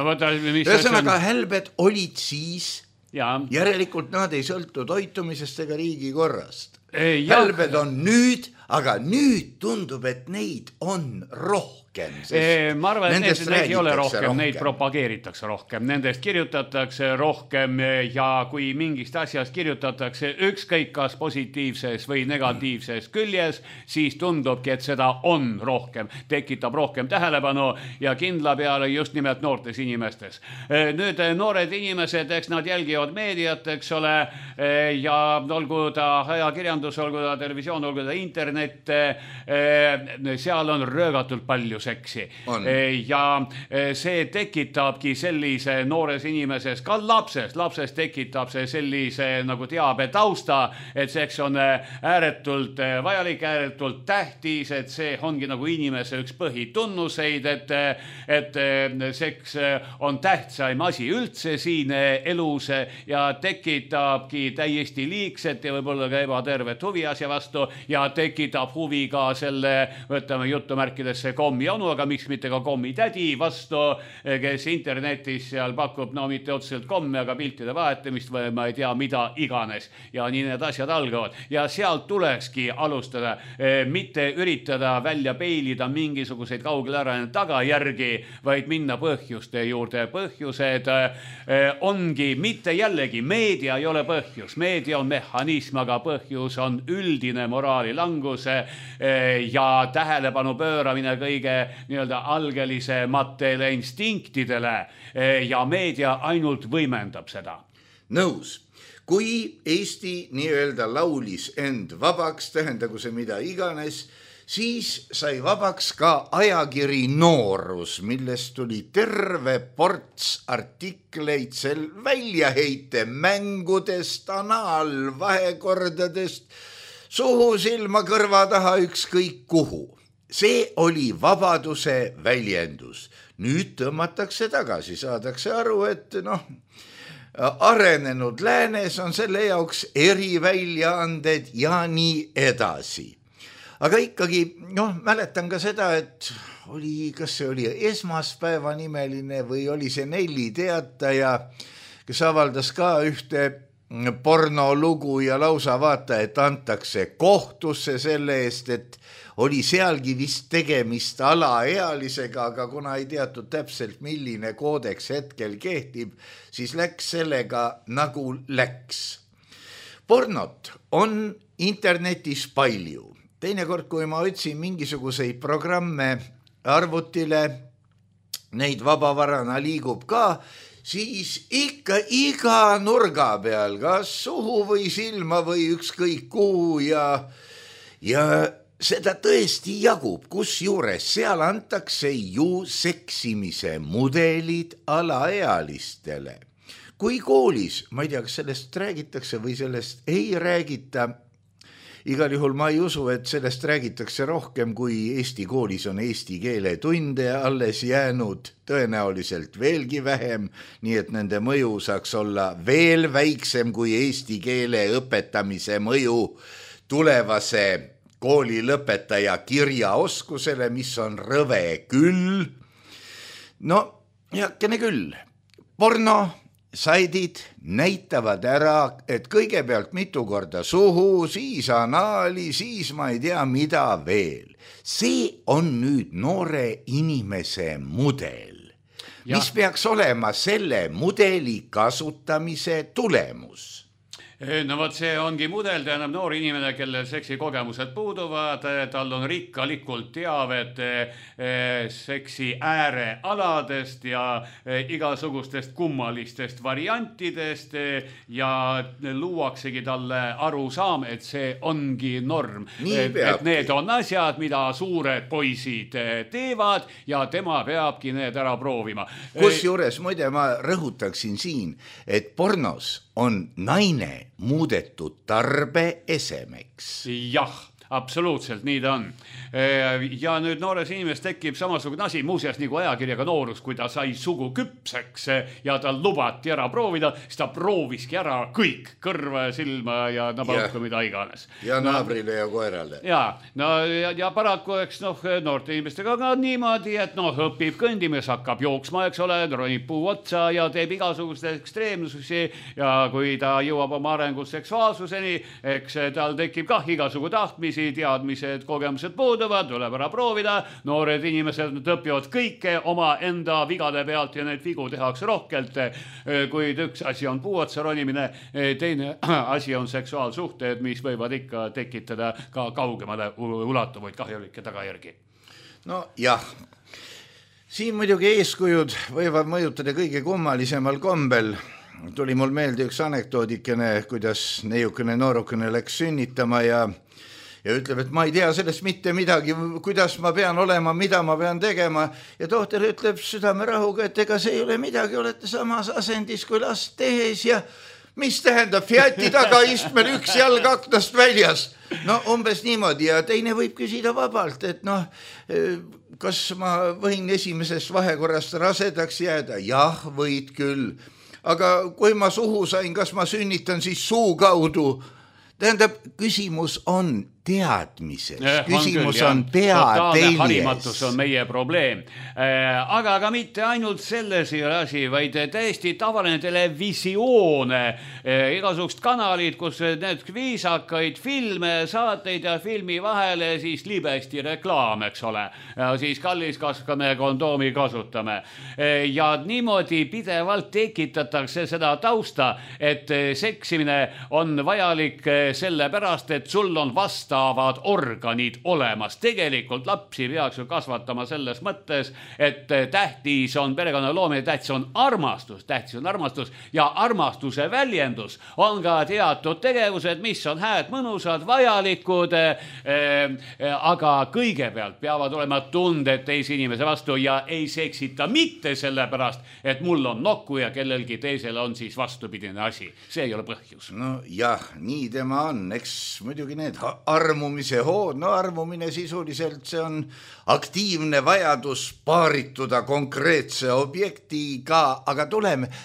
Ühesõnaga hälbed olid siis, järelikult nad ei sõltu toitumisest ega riigikorrast. Hälbed on nüüd, aga nüüd tundub, et neid on rohkem. Ma arvan, et neid ei ole rohkem, neid propageeritakse rohkem, nendest kirjutatakse rohkem ja kui mingist asjast kirjutatakse ükskõik kas positiivses või negatiivses küljes, siis tundubki, et seda on rohkem, tekitab rohkem tähelepanu ja kindla peale just nimelt noortes inimestes. Nüüd noored inimesed, eks nad jälgivad meediat, eks ole, ja olgu ta ajakirjandus, olgu ta televisioon, olgu ta internet, seal on röögatult palju seksi. Ja see tekitabki sellise noores inimeses, ka lapses tekitab see sellise nagu teabe tausta, et seks on ääretult vajalik, ääretult tähtis, et see ongi nagu inimese üks põhitunnuseid, et seks on tähtsaim asi üldse siin elus ja tekitabki täiesti liigset ja võib-olla ka ebatervet huvi asja vastu ja tekitab huvi ka selle, võtame jutumärkidesse kommi onu, aga miks mitte ka kommi tädi vastu, kes internetis seal pakub, no mitte otseselt komme, aga piltide vahetamist või ma ei tea, mida iganes. Ja nii need asjad algavad. Ja sealt tulekski alustada, mitte üritada välja peilida mingisuguseid kaugele ära tagajärgi, vaid minna põhjuste juurde. Põhjused ongi mitte jällegi, meedia ei ole põhjus, meedia on mehhanism, aga põhjus on üldine moraalilangus ja tähelepanu pööramine kõige nii-öelda algelisematele instinktidele ja meedia ainult võimendab seda. Nõus. Kui Eesti nii-öelda laulis end vabaks, tähendagu see mida iganes, siis sai vabaks ka ajakiri Noorus, millest tuli terve ports artikleid sel väljaheite mängudest, anaalvahekordadest, suhu, silma, kõrva taha, ükskõik kuhu. See oli vabaduse väljendus. Nüüd tõmmatakse tagasi, saadakse aru, et arenenud läänes on selle jaoks eriväljaanded ja nii edasi. Aga ikkagi, mäletan ka seda, et kas see oli Esmaspäeva nimeline või oli see Nelli Teataja, kes avaldas ka ühte pornolugu ja lausa vaata, et antakse kohtusse selle eest, et oli sealgi vist tegemist alaealisega, aga kuna ei teatud täpselt, milline koodeks hetkel kehtib, siis läks sellega nagu läks. Pornot on internetis palju. Teinekord, kui ma otsin mingisuguseid programme arvutile, neid vabavarana liigub ka, siis ikka iga nurga peal, kas suhu või silma või ükskõik kuhu ja seda tõesti jagub, kusjuures seal antakse ju seksimise mudelid alaealistele. Kui koolis, ma ei tea, kas sellest räägitakse või sellest ei räägita, igal juhul ma ei usu, et sellest räägitakse rohkem, kui Eesti koolis on eesti keele tunde alles jäänud, tõenäoliselt veelgi vähem, nii et nende mõju saaks olla veel väiksem kui eesti keele õpetamise mõju tulevase kooli lõpetaja kirjaoskusele, mis on rõve küll. No, heakene küll. Porno saidid näitavad ära, et kõigepealt mitu korda suhu, siis anaali, siis ma ei tea mida veel. See on nüüd noore inimese mudel, mis peaks olema selle mudeli kasutamise tulemus. No võt, see ongi mudel, tähendab noor inimene, kellel seksikogemused puuduvad, tal on rikkalikult teavet seksi äärealadest ja igasugustest kummalistest variantidest ja luuaksegi talle arusaam, et see ongi norm. Et need on asjad, mida suured poisid teevad ja tema peabki need ära proovima. Kusjuures, muide, ma rõhutaksin siin, et pornos on naine muudetud tarbeesemeks. Jah, absoluutselt, nii ta on. Ja nüüd noores inimest tekib samasugune asi, muuseas nagu ajakirjaga noorus, kui ta sai sugu küpseks ja tal lubati ära proovida, siis ta prooviski ära kõik, kõrva ja silma ja nabalukku, mida iganes. Ja naabrile ja koerale. Ja paraku, eks noorte inimestega ka niimoodi, et õpib kõndimes, hakkab jooksma, eks ole, ronib puu otsa ja teeb igasugust ekstreemsusi ja kui ta jõuab oma arengus seksuaalsuseni, eks tal tekib kah igasugu tahtmisi, teadmised, kogemused puuduvad, tuleb ära proovida, noored inimesed õpivad kõike oma enda vigade pealt ja need vigu tehakse rohkelt, kuid üks asi on puu otsa ronimine, teine asi on seksuaalsuhted, mis võivad ikka tekitada ka kaugemale ulatuvaid kahjulikke tagajärgi. No jah, siin muidugi eeskujud võivad mõjutada kõige kummalisemal kombel. Tuli mul meelde üks anekdoodikene, kuidas neiukene noorukene läks sünnitama ja ütleb, et ma ei tea sellest mitte midagi, kuidas ma pean olema, mida ma pean tegema. Ja tohter ütleb südamerahuga, et ega see ei ole midagi, olete samas asendis kui last tehes ja mis tähendab Fiati tagaistmel üks jalg aknast väljas. No umbes niimoodi ja teine võib küsida vabalt, et kas ma võin esimesest vahekorrast rasedaks jääda? Jah, võid küll. Aga kui ma suhu sain, kas ma sünnitan siis suu kaudu? Tähendab, küsimus on teadmises, küsimus on peateljes. Harimatus on meie probleem. Aga mitte ainult selles ei ole asi, vaid täiesti tavaline televisioon, igasugust kanalid, kus need viisakaid filme, saateid ja filmi vahele siis libesti reklaam, eks ole. Ja siis kallis kaskame kondoomi kasutame. Ja niimoodi pidevalt tekitatakse seda tausta, et seksimine on vajalik sellepärast, et sul on vastavad organid olemas. Tegelikult lapsi peaks ju kasvatama selles mõttes, et tähtis on perekonna loomine, tähtis on armastus ja armastuse väljendus on ka teatud tegevused, mis on hääd, mõnusad, vajalikud, aga kõigepealt peavad olema tunded teise inimese vastu ja ei seksita mitte sellepärast, et mul on nokku ja kellelgi teisel on siis vastupidine asi. See ei ole põhjus. No jah, nii tema on. Eks muidugi need armumise hood, no armumine sisuliselt see on aktiivne vajadus paarituda konkreetse objektiga, aga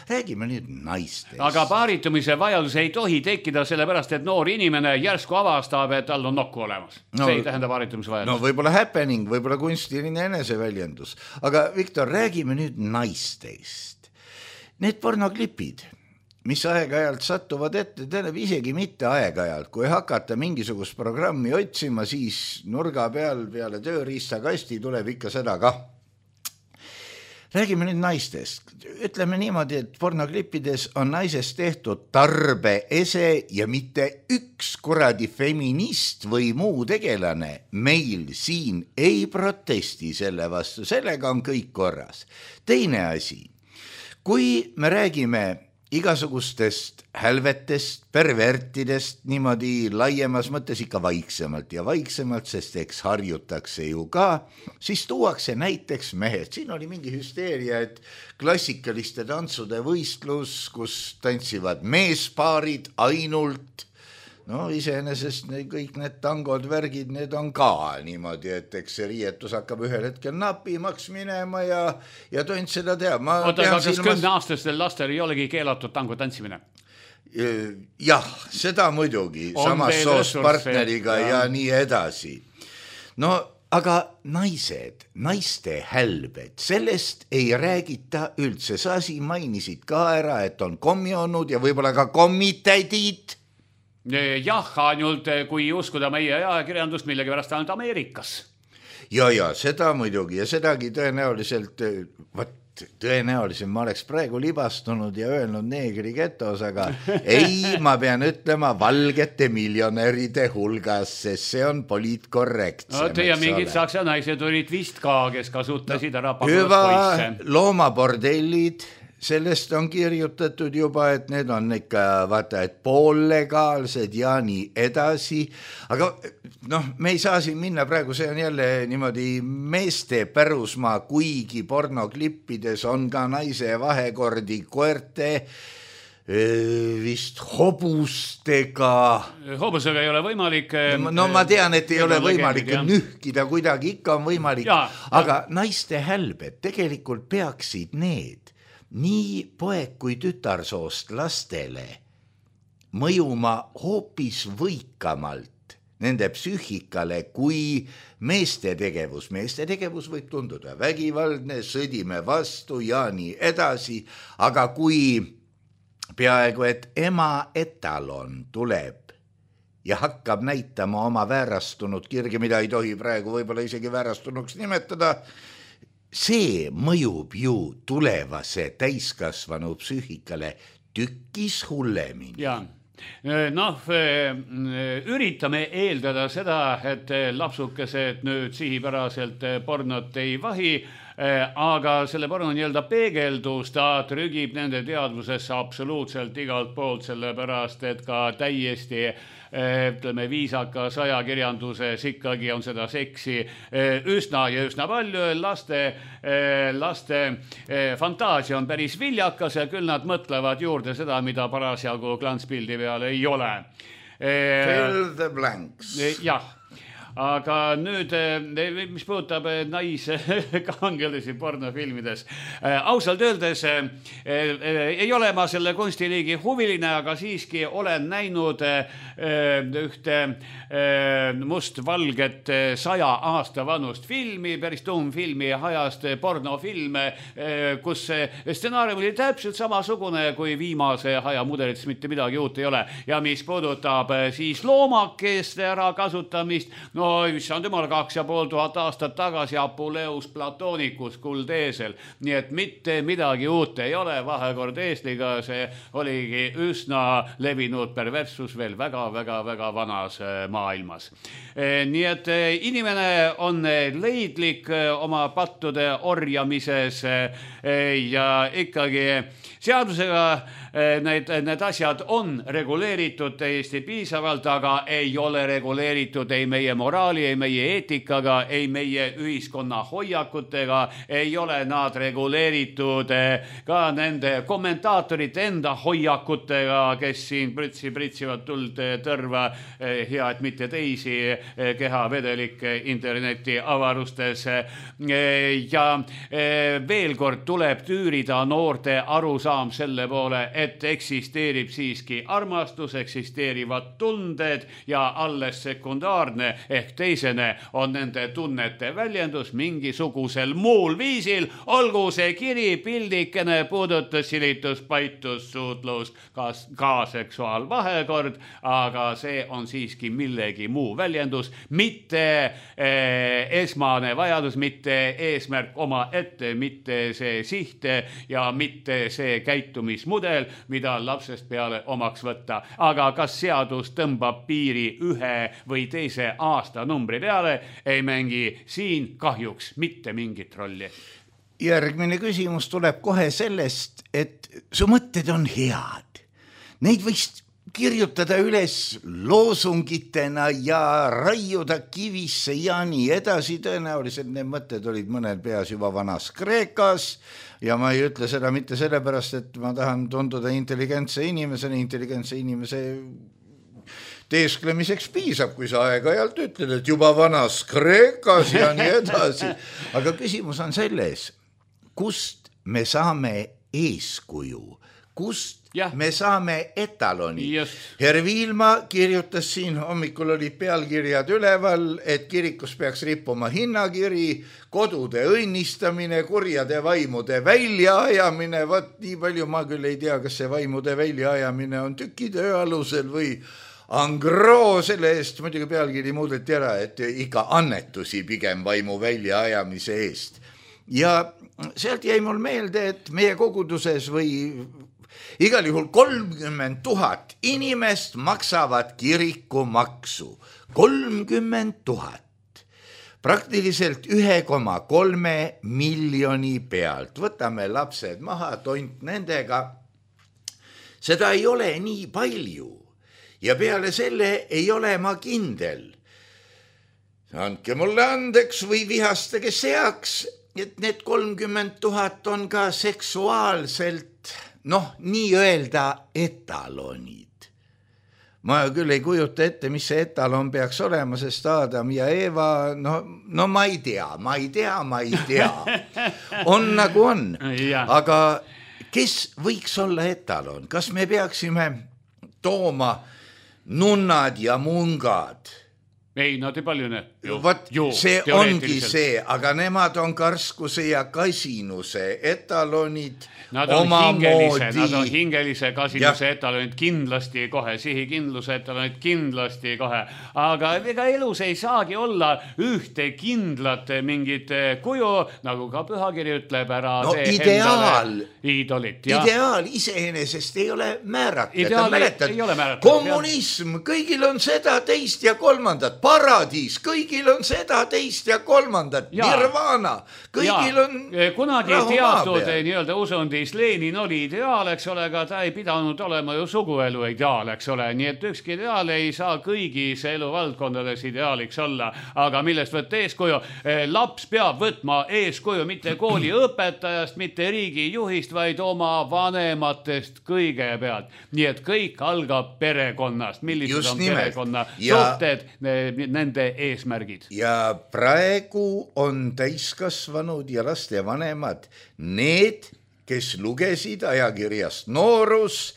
räägime nüüd naistest. Aga paaritumise vajadus ei tohi tekkida sellepärast, et noor inimene järsku avastab, et tal on nokku olemas. See ei tähenda paaritumise vajadus. No võib-olla happening, võib-olla kunstiline eneseväljendus. Aga Viktor, räägime nüüd naistest. Need pornoklipid, mis aeg-ajalt satuvad ette, tähendab isegi mitte aeg-ajalt, kui hakata mingisugust programmi otsima, siis nurga peale tööriistakasti tuleb ikka seda kah. Räägime nüüd naistest. Ütleme niimoodi, et pornoklippides on naisest tehtud tarbeese ja mitte üks kuradi feminist või muu tegelane meil siin ei protesti selle vastu, sellega on kõik korras. Teine asi, kui me räägime igasugustest hälvetest, pervertidest niimoodi laiemas mõttes ikka vaiksemalt, sest eks harjutakse ju ka, siis tuuakse näiteks mehed. Siin oli mingi hüsteeria, et klassikaliste tantsude võistlus, kus tantsivad meespaarid ainult. No iseenesest kõik need tangod, värgid, need on ka niimoodi, et eks see riietus hakkab ühel hetkel napimaks minema ja toint seda teab. Oota, kas 10-aastastel lastel ei olegi keelatud tango tantsimine? Jah, seda muidugi, samas soost partneriga ja nii edasi. No aga naiste hälbed, sellest ei räägita üldse. Sa siin mainisid ka ära, et on kommiolnud ja võib-olla ka kommitädid. Jah, ainult kui uskuda meie ajakirjandust millegi pärast ainult Ameerikas. Ja, seda muidugi ja sedagi tõenäoliselt, tõenäoliselt ma oleks praegu libastunud ja öelnud neegri getos, aga ei, ma pean ütlema valgete miljonäride hulgas, sest see on poliitkorrektsem. Ja mingid saksa naised olid vist ka, kes kasutasid ära pagulast poisse. Loomabordellid, sellest on kirjutatud juba, et need on ikka vaata, et poollegaalsed ja nii edasi, aga me ei saa siin minna praegu, see on jälle niimoodi meeste pärusmaa, kuigi pornoklippides on ka naise vahekordi koerte, vist hobustega. Hobusega ei ole võimalik. No ma tean, et ei ole võimalik nühkida kuidagi, ikka on võimalik, aga naiste hälbed tegelikult peaksid need nii poeg kui tütarsoost lastele mõjuma hoopis võikamalt nende psüühikale kui meeste tegevus. Meeste tegevus võib tunduda vägivaldne, sõdime vastu ja nii edasi, aga kui peaaegu et ema etalon tuleb ja hakkab näitama oma väärastunud kirge, mida ei tohi praegu võib-olla isegi väärastunuks nimetada, see mõjub ju tulevase täiskasvanu psüühikale tükkis hullemini. Ja, üritame eeldada seda, et lapsukesed nüüd sihipäraselt pornot ei vahi, aga selle porno nii-öelda peegeldus, ta trügib nende teadvusesse absoluutselt igalt poolt, sellepärast, et ka täiesti ütleme viisakas ajakirjanduses ikkagi on seda seksi üsna palju. Laste fantaasia on päris viljakas ja küll nad mõtlevad juurde seda, mida parasjagu klantspildi peal ei ole. Fill the blanks. Jah. Aga nüüd, mis puudutab naiskangelasi pornofilmides, ausalt öeldes ei ole ma selle kunstiliigi huviline, aga siiski olen näinud ühte mustvalget 100 aasta vanust filmi, päris tuumfilmi ajast pornofilme, kus stsenaarium oli täpselt samasugune kui viimase aja mudelites, mitte midagi uut ei ole. Ja mis puudutab siis loomakeste ära kasutamist, no issand jumal 2500 aastat tagasi Apuleus Platonicus kuldeesel, nii et mitte midagi uut ei ole, vahekord eesliga, see oligi üsna levinud perversus veel väga vanas maailmas. Nii et inimene on leidlik oma pattude orjamises ja ikkagi seadusega need asjad on reguleeritud täiesti piisavalt, aga ei ole reguleeritud ei meie moraali, ei meie eetikaga, ei meie ühiskonna hoiakutega, ei ole nad reguleeritud ka nende kommentaatorite enda hoiakutega, kes siin pritsivad tuld tõrva, hea, et mitte teisi kehavedelikke interneti avarustes. Ja veel kord tuleb tüürida noorte arusaam selle poole, et eksisteerib siiski armastus, eksisteerivad tunded ja alles sekundaarne ehk teisene on nende tunnete väljendus mingisugusel muul viisil, olgu see kiri, pildikene, puudutus, silitus, paitus, suutlus, ka seksuaalvahekord, aga see on siiski millegi muu väljendus, mitte esmane vajadus, mitte eesmärk oma ette, mitte see siht ja mitte see käitumismudel, mida lapsest peale omaks võtta. Aga kas seadus tõmbab piiri ühe või teise aastanumbri peale, ei mängi siin kahjuks mitte mingit rolli. Järgmine küsimus tuleb kohe sellest, et su mõtted on head. Neid võiks kirjutada üles loosungitena ja raiuda kivisse ja nii edasi. Tõenäoliselt need mõtted olid mõnel peas juba vanas Kreekas ja ma ei ütle seda mitte sellepärast, et ma tahan tunduda intelligentse inimese teesklemiseks piisab, kui sa aeg-ajalt ütled, et juba vanas Kreekas ja nii edasi. Aga küsimus on selles, kust me saame eeskuju, kust me saame etaloni. Herr Viilma kirjutas siin, hommikul olid pealkirjad üleval, et kirikus peaks rippuma hinnakiri, kodude õnnistamine, kurjade vaimude väljaajamine. Võt nii palju ma küll ei tea, kas see vaimude väljaajamine on tükitöö alusel või Angro, selle eest muidugi pealkiri muudeti ära, et ikka annetusi pigem vaimu väljaajamise eest. Ja sealt jäi mul meelde, et meie koguduses või igal juhul 30 000 inimest maksavad kirikumaksu. 30 000. Praktiliselt 1,3 miljoni pealt. Võtame lapsed maha, tont nendega. Seda ei ole nii palju. Ja peale selle ei ole ma kindel. Andke mulle andeks või vihastage seaks, et need 30 000 on ka seksuaalselt, nii öelda etalonid. Ma küll ei kujuta ette, mis see etalon peaks olema, sest Adam ja Eva, ma ei tea. On nagu on. Aga kes võiks olla etalon? Kas me peaksime tooma nunnad ja mungad? Ei, nad ei paljune. See ongi see, aga nemad on karskuse ja kasinuse etalonid. Nad on hingelise kasinuse etalonid kindlasti kohe, sihikindluse etalonid kindlasti kohe. Aga ega elus ei saagi olla ühte kindlat mingit kuju, nagu ka pühakiri ütleb ära. Ideaal. Iidolit. Ideaal iseenesest ei ole määratud. Ideaal ei ole määratud. Kommunism, kõigil on seda, teist ja kolmandat. Paradiis, kõigil on seda, teist ja kolmandat. Nirvana, kõigil on kunagi teatud nii-öelda usundis Lenin oli ideaal, eks ole, aga ta ei pidanud olema ju suguelu ideaal, eks ole. Nii et ükski ideaal ei saa kõigis eluvaldkondades ideaaliks olla. Aga millest võtta eeskuju? Laps peab võtma eeskuju mitte kooli õpetajast, mitte riigi juhist, vaid oma vanematest kõigepealt. Nii et kõik algab perekonnast. Millised on perekonna suhted, nende eesmärgid. Ja praegu on täiskasvanud ja laste vanemad need, kes lugesid ajakirjast Noorus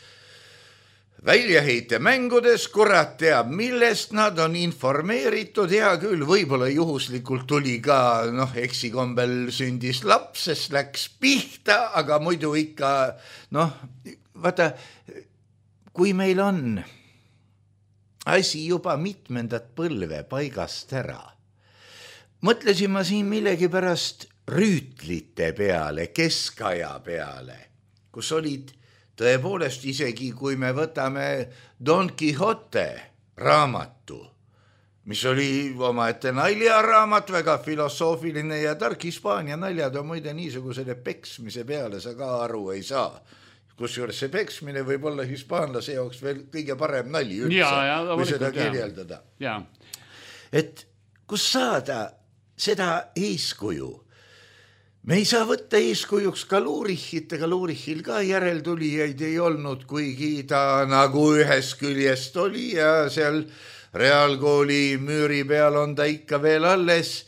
väljaheite mängudes, kurat teab, millest nad on informeeritud. Hea küll, võib-olla juhuslikult tuli ka, eksikombel sündis laps, sest läks pihta, aga muidu ikka, vaata, kui meil on asi juba mitmendat põlve paigast ära. Mõtlesin ma siin millegipärast rüütlite peale, keskaja peale, kus olid tõepoolest isegi, kui me võtame Don Quixote raamatu, mis oli omaette naljaraamat, väga filosoofiline ja tark. Hispaania naljad on muide niisugusele peksmise peale sa ka aru ei saa. Kusjuures see peksmine võib olla hispaanlase jaoks veel kõige parem nali üldse, kui seda kirjeldada. Et kus saada seda eeskuju. Me ei saa võtta eeskujuks ka Lurichit, ega Lurichil ka järeltulijaid ei olnud, kuigi ta nagu ühest küljest oli ja seal reaalkooli müüri peal on ta ikka veel alles.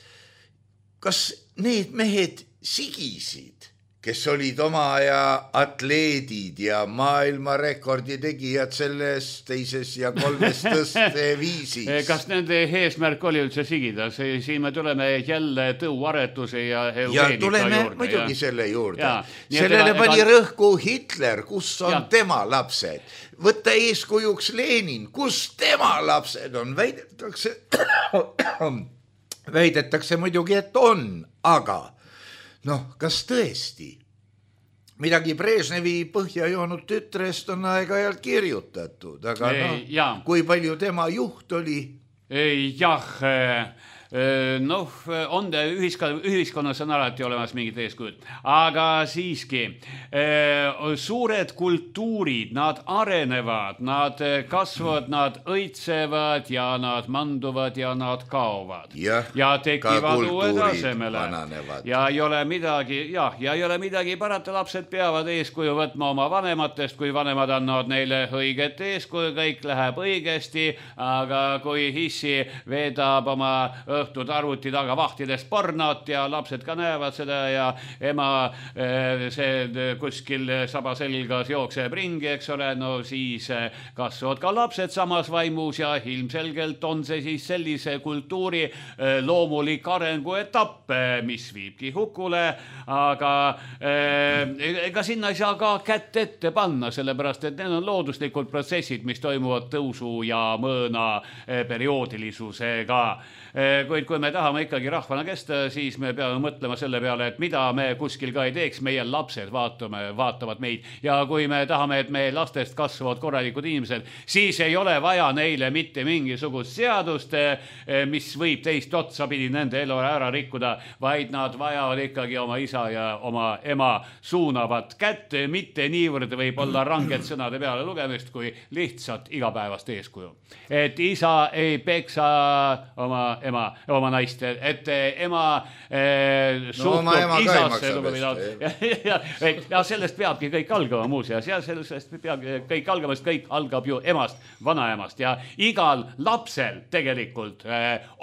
Kas need mehed sigisid, kes olid oma aja atleedid ja maailmarekordi tegijad selles teises ja kolmes tõsteviisis? Kas nende eesmärk oli üldse sigida? Siin me tuleme jälle tõuaretuse ja eugeenika ja tuleme juurde. Muidugi selle juurde. Sellele pani rõhku Hitler, kus on tema lapsed. Võtta eeskujuks Lenin, kus tema lapsed on. Väidetakse muidugi, et on, aga kas tõesti? Midagi Brežnevi põhja joonud tütrest on aeg-ajalt kirjutatud, aga kui palju tema juht oli? On ühiskonnas on alati olemas mingid eeskujud, aga siiski suured kultuurid, nad arenevad, nad kasvavad, nad õitsevad ja nad manduvad ja nad kaovad ja tekivad uued asemele ja ei ole midagi parata, lapsed peavad eeskuju võtma oma vanematest, kui vanemad annavad neile õiget eeskuju, kõik läheb õigesti, aga kui hissi veedab oma õhtud arvuti taga vahtidest pornot ja lapsed ka näevad seda ja ema see kuskil saba selgas jookseb ringi, eks ole, siis kasvavad ka lapsed samas vaimus ja ilmselgelt on see siis sellise kultuuri loomulik arenguetapp, mis viibki hukule, aga ega sinna ei saa ka kätt ette panna, sellepärast et need on looduslikud protsessid, mis toimuvad tõusu ja mõõna perioodilisusega. Kuid kui me tahame ikkagi rahvana kesta, siis me peame mõtlema selle peale, et mida me kuskil ka ei teeks, meie lapsed vaatavad meid ja kui me tahame, et meie lastest kasvavad korralikud inimesed, siis ei ole vaja neile mitte mingisugust seadust, mis võib teist otsapidi nende elu ära rikkuda, vaid nad vajavad ikkagi oma isa ja oma ema suunavat kätt, mitte niivõrd võib olla ranged sõnade peale lugemist, kui lihtsalt igapäevast eeskuju. Et isa ei peksa oma naist, et ema suhtub isasse ja sellest peabki kõik algama muuseas ja sellest peabki kõik algama, sest kõik algab ju emast, vanaemast ja igal lapsel tegelikult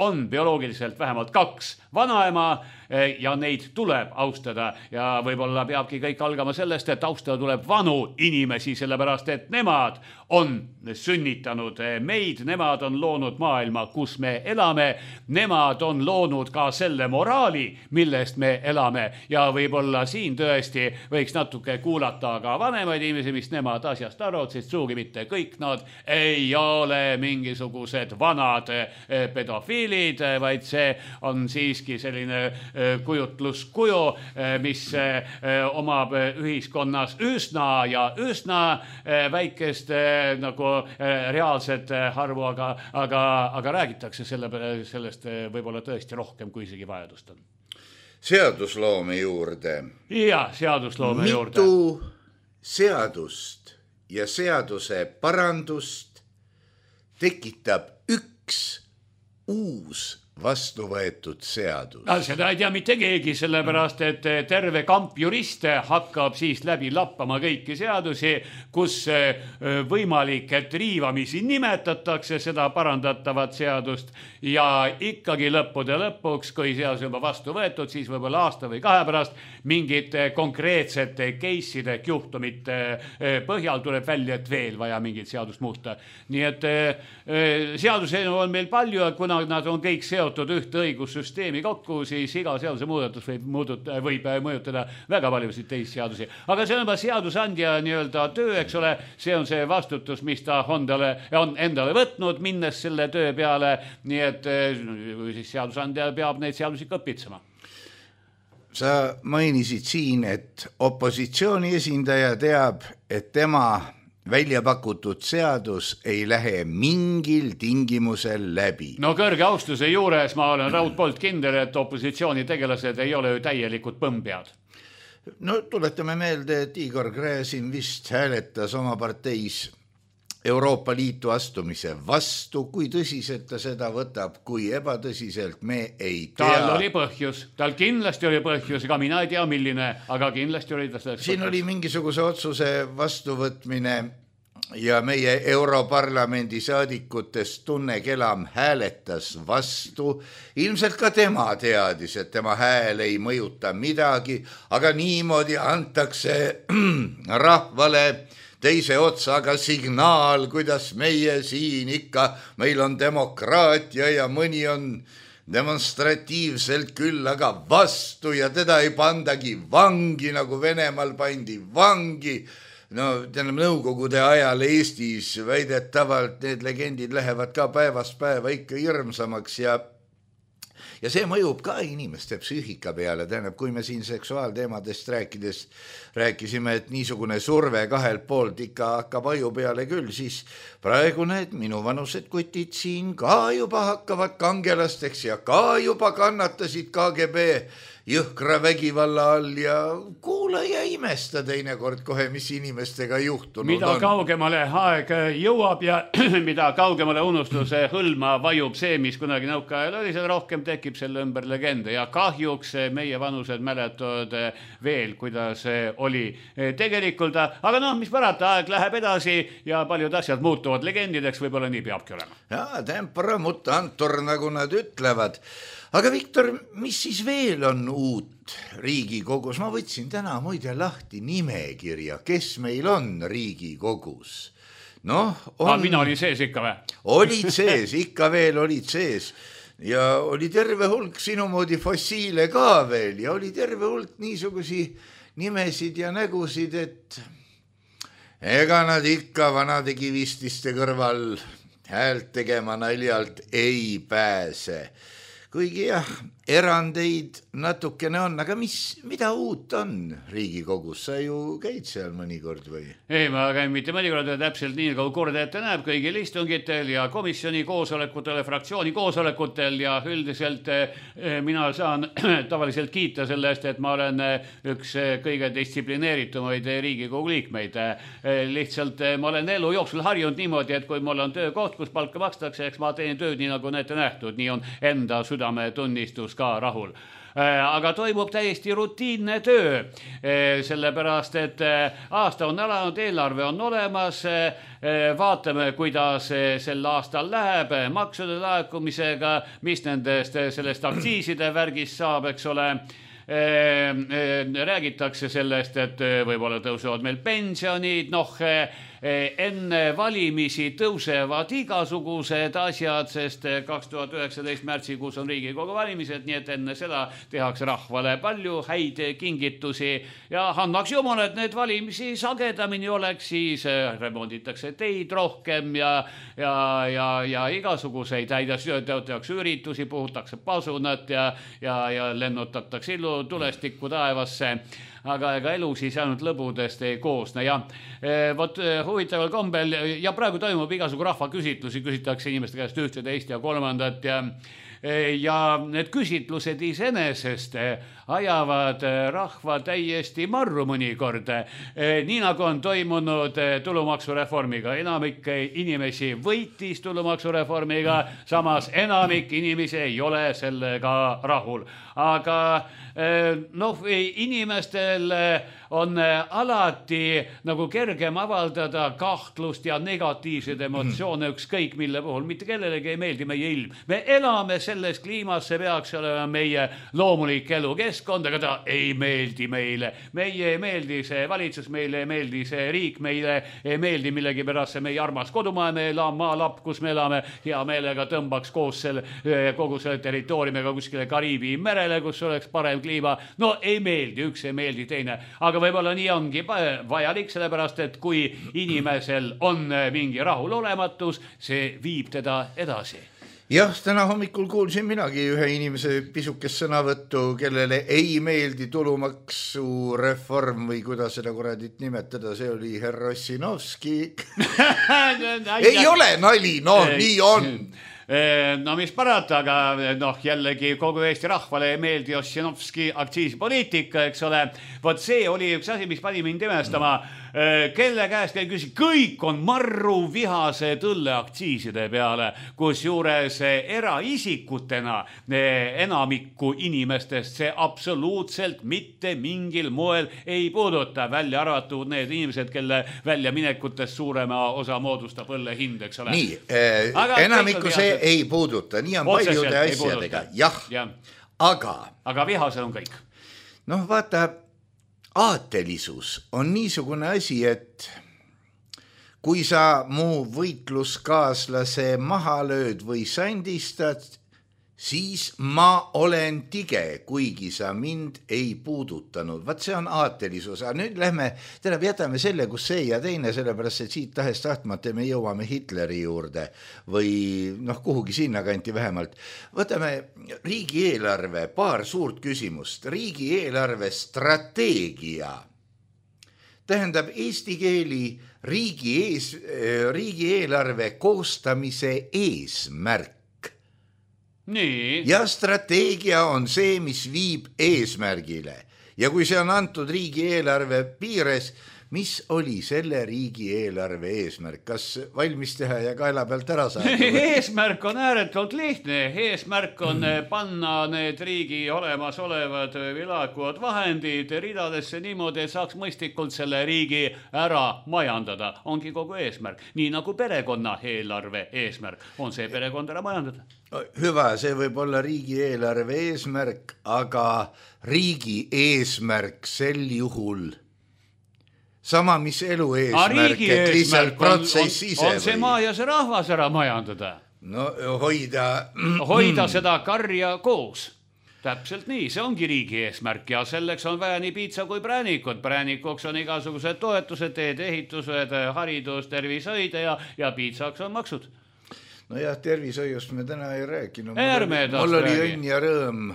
on bioloogiliselt vähemalt 2 vanaema ja neid tuleb austada ja võib-olla peabki kõik algama sellest, et austada tuleb vanu inimesi, sellepärast et nemad on sünnitanud meid, nemad on loonud maailma, kus me elame, nemad on loonud ka selle moraali, millest me elame ja võib-olla siin tõesti võiks natuke kuulata ka vanemaid inimesi, mis nemad asjast arvavad, sest suugi mitte kõik nad ei ole mingisugused vanad pedofiilid, vaid see on siiski selline kujutluskuju, mis omab ühiskonnas üsna väikest nagu reaalset arvu, aga räägitakse sellest võib-olla tõesti rohkem, kui isegi vajadust on. Seadusloome juurde. Ja, seadusloome juurde. Mitu seadust ja seaduse parandust tekitab üks uus vastu võetud seadus. Seda ei tea mitte keegi, sellepärast, et terve kamp juriste hakkab siis läbi lappama kõiki seadusi, kus võimalik, et riivamisi nimetatakse seda parandatavat seadust ja ikkagi lõppude lõpuks, kui seadus juba vastu võetud, siis võib-olla aasta või 2 pärast mingite konkreetsete case'ide juhtumite põhjal tuleb välja, et veel vaja mingit seadust muuta. Nii et seaduseelnõu on meil palju ja kuna nad on kõik seotud ühte õigussüsteemi kokku, siis iga seaduse muudatus võib mõjutada väga paljusid teisi seadusi. Aga see on juba seadusandja nii-öelda töö, eks ole, see on see vastutus, mis ta on endale võtnud, minnes selle töö peale, nii et siis seadusandja peab neid seadusi kõpitsema. Sa mainisid siin, et opositsiooni esindaja teab, et tema välja pakutud seadus ei lähe mingil tingimusel läbi. No kõrge austuse juures ma olen raudpoolt kindel, et opositsiooni tegelased ei ole ju täielikud põmpead. No tuletame meelde, et Igor Gräzin vist hääletas oma parteis Euroopa Liitu astumise vastu, kui tõsiselt ta seda võtab, kui ebatõsiselt me ei tea. Tal oli põhjus, tal kindlasti oli põhjus, ega mina ei tea milline, aga kindlasti oli ta selleks siin põhjus. Oli mingisuguse otsuse vastuvõtmine ja meie Europarlamendi saadikutest Tunne Kelam hääletas vastu. Ilmselt ka tema teadis, et tema hääl ei mõjuta midagi, aga niimoodi antakse rahvale teise otsaga signaal, kuidas meie siin ikka, meil on demokraatia ja mõni on demonstratiivselt küll, aga vastu ja teda ei pandagi vangi, nagu Venemaal pandi vangi. No nõukogude ajal Eestis väidetavalt need legendid lähevad ka päevast päeva ikka hirmsamaks ja see mõjub ka inimeste psüühika peale. Tähendab, kui me siin seksuaalteemadest rääkisime, et niisugune surve kahelt poolt ikka hakkab aju peale küll, siis praegu need minuvanused kutid siin ka juba hakkavad kangelasteks ja ka juba kannatasid KGB jõhkra vägivalla all ja kuula ja imesta teinekord kohe, mis inimestega juhtunud mida on. Kaugemale aeg jõuab ja mida kaugemale unustuse hõlma vajub see, mis kunagi nõukaajal oli, seal rohkem tekib selle ümber legende ja kahjuks meie vanused mäletavad veel, kuidas oli tegelikult, aga noh, mis parata, aeg läheb edasi ja paljud asjad muutuvad legendideks, võib-olla nii peabki olema. Ja, tempora mutantur, nagu nad ütlevad. Aga Viktor, mis siis veel on uut Riigikogus? Ma võtsin täna muide lahti nimekirja, kes meil on Riigikogus. Mina olin sees ikka või? Olid sees, ikka veel olid sees. Ja oli terve hulk sinu moodi fossiile ka veel ja oli terve hulk niisugusi nimesid ja nägusid, et ega nad ikka vanade kivististe kõrval häält tegema naljalt ei pääse. Kuigi jah, erandeid natukene on, aga mida uut on Riigikogus? Sa ju käid seal mõnikord või? Ei, ma käin mitte mõnikord täpselt nii, nagu kord ette näeb kõigil istungitel ja komisjoni koosolekutel, fraktsiooni koosolekutel ja üldiselt mina saan tavaliselt kiita selle eest, et ma olen üks kõige distsiplineeritumaid Riigikogu liikmeid. Lihtsalt ma olen elu jooksul harjunud niimoodi, et kui mul on töökoht, kus palka makstakse, eks ma teen tööd nii, nagu on ette nähtud, nii on enda südametunnistus ka rahul. Aga toimub täiesti rutiinne töö, sellepärast, et aasta on alanud, eelarve on olemas, vaatame, kuidas sel aastal läheb maksude laekumisega, mis nendest sellest aktsiiside värgist saab, eks ole. Räägitakse sellest, et võib-olla tõusevad meil pensionid, enne valimisi tõusevad igasugused asjad, sest 2019 märtsikuus on Riigikogu valimised, nii et enne seda tehakse rahvale palju häid kingitusi ja annaks jumal, et need valimisi sagedamini oleks, siis remonditakse teid rohkem ja igasuguseid häid tehakse üritusi, puhutakse pasunat ja lennutatakse tulestikku taevasse. Aga ega elu siis ainult lõbudest ei koosne ja vot huvitaval kombel ja praegu toimub igasugu rahvaküsitlusi, küsitakse inimeste käest ühte, teist ja kolmandat ja need küsitlused iseenesest ajavad rahva täiesti marru mõnikord. Nii nagu on toimunud tulumaksureformiga. Enamik inimesi võitis tulumaksureformiga, samas enamik inimesi ei ole sellega rahul. Aga inimestel on alati nagu kergem avaldada kahtlust ja negatiivseid emotsioone ükskõik mille puhul. Mitte kellelegi ei meeldi meie ilm. Me elame selles kliimas, see peaks olema meie loomulik elukeskkond, aga ta ei meeldi meile. Meie ei meeldi see valitsus, meile ei meeldi see riik, meile ei meeldi millegipärast see meie armas kodumaa, meil on maalapp, kus me elame, hea meelega tõmbaks koos kogu selle territooriumiga kuskile Kariibi merele, kus oleks parem kliima. No ei meeldi, üks ei meeldi teine, aga võib-olla nii ongi vajalik, sellepärast, et kui inimesel on mingi rahulolematus, see viib teda edasi. Jah, täna hommikul kuulsin minagi ühe inimese pisukest sõnavõttu, kellele ei meeldi tulumaksureform või kuidas seda kuradit nimetada, see oli herr Ossinovski. Ei ole nali, nii on. No mis parata, aga jällegi kogu Eesti rahvale ei meeldi Ossinovski aktsiisipoliitika, eks ole. Vot see oli üks asi, mis pani mind imestama. kelle käest ei küsi, kõik on marru vihase õlleaktsiiside peale, kus juures eraisikutena enamikku inimestest see absoluutselt mitte mingil moel ei puuduta, välja arvatud need inimesed, kelle väljaminekutest suurema osa moodustab õlle hind, eks ole. Nii, enamikku see ei puuduta, nii on paljude asjadega, jah. Aga vihasel on kõik. Noh, vaata, aatelisus on niisugune asi, et kui sa mu võitluskaaslase maha lööd või sandistad, siis ma olen tige, kuigi sa mind ei puudutanud. Vaat see on aatelisus. Aga nüüd lähme, jätame selle, kus see ja teine, sellepärast, et siit tahest tahtmata me jõuame Hitleri juurde või kuhugi sinna kanti vähemalt. Võtame riigieelarve, paar suurt küsimust. Riigieelarve strateegia tähendab eesti keeli riigieelarve koostamise eesmärk. Nii. Ja strateegia on see, mis viib eesmärgile. Ja kui see on antud riigieelarve piires, mis oli selle riigieelarve eesmärk? Kas valmis teha ja kaela pealt ära saada? Eesmärk on ääretult lihtne. Eesmärk on panna need riigi olemasolevad või laekuvad vahendid ridadesse niimoodi, et saaks mõistlikult selle riigi ära majandada. Ongi kogu eesmärk. Nii nagu perekonna eelarve eesmärk on see perekond ära majandada. Hüva, see võib olla riigieelarve eesmärk, aga riigi eesmärk sel juhul sama, mis elu eesmärk, et lihtsalt protsess ise on see maa ja see rahvas ära majandada. No hoida seda karja koos. Täpselt nii, see ongi riigi eesmärk ja selleks on vaja nii piitsa kui präänikut. Präänikuks on igasugused toetused, teed, ehitused, haridus, tervishoid ja piitsaks on maksud. No jah, tervishoiust me täna ei rääkinud. Mul oli õnn ja rõõm.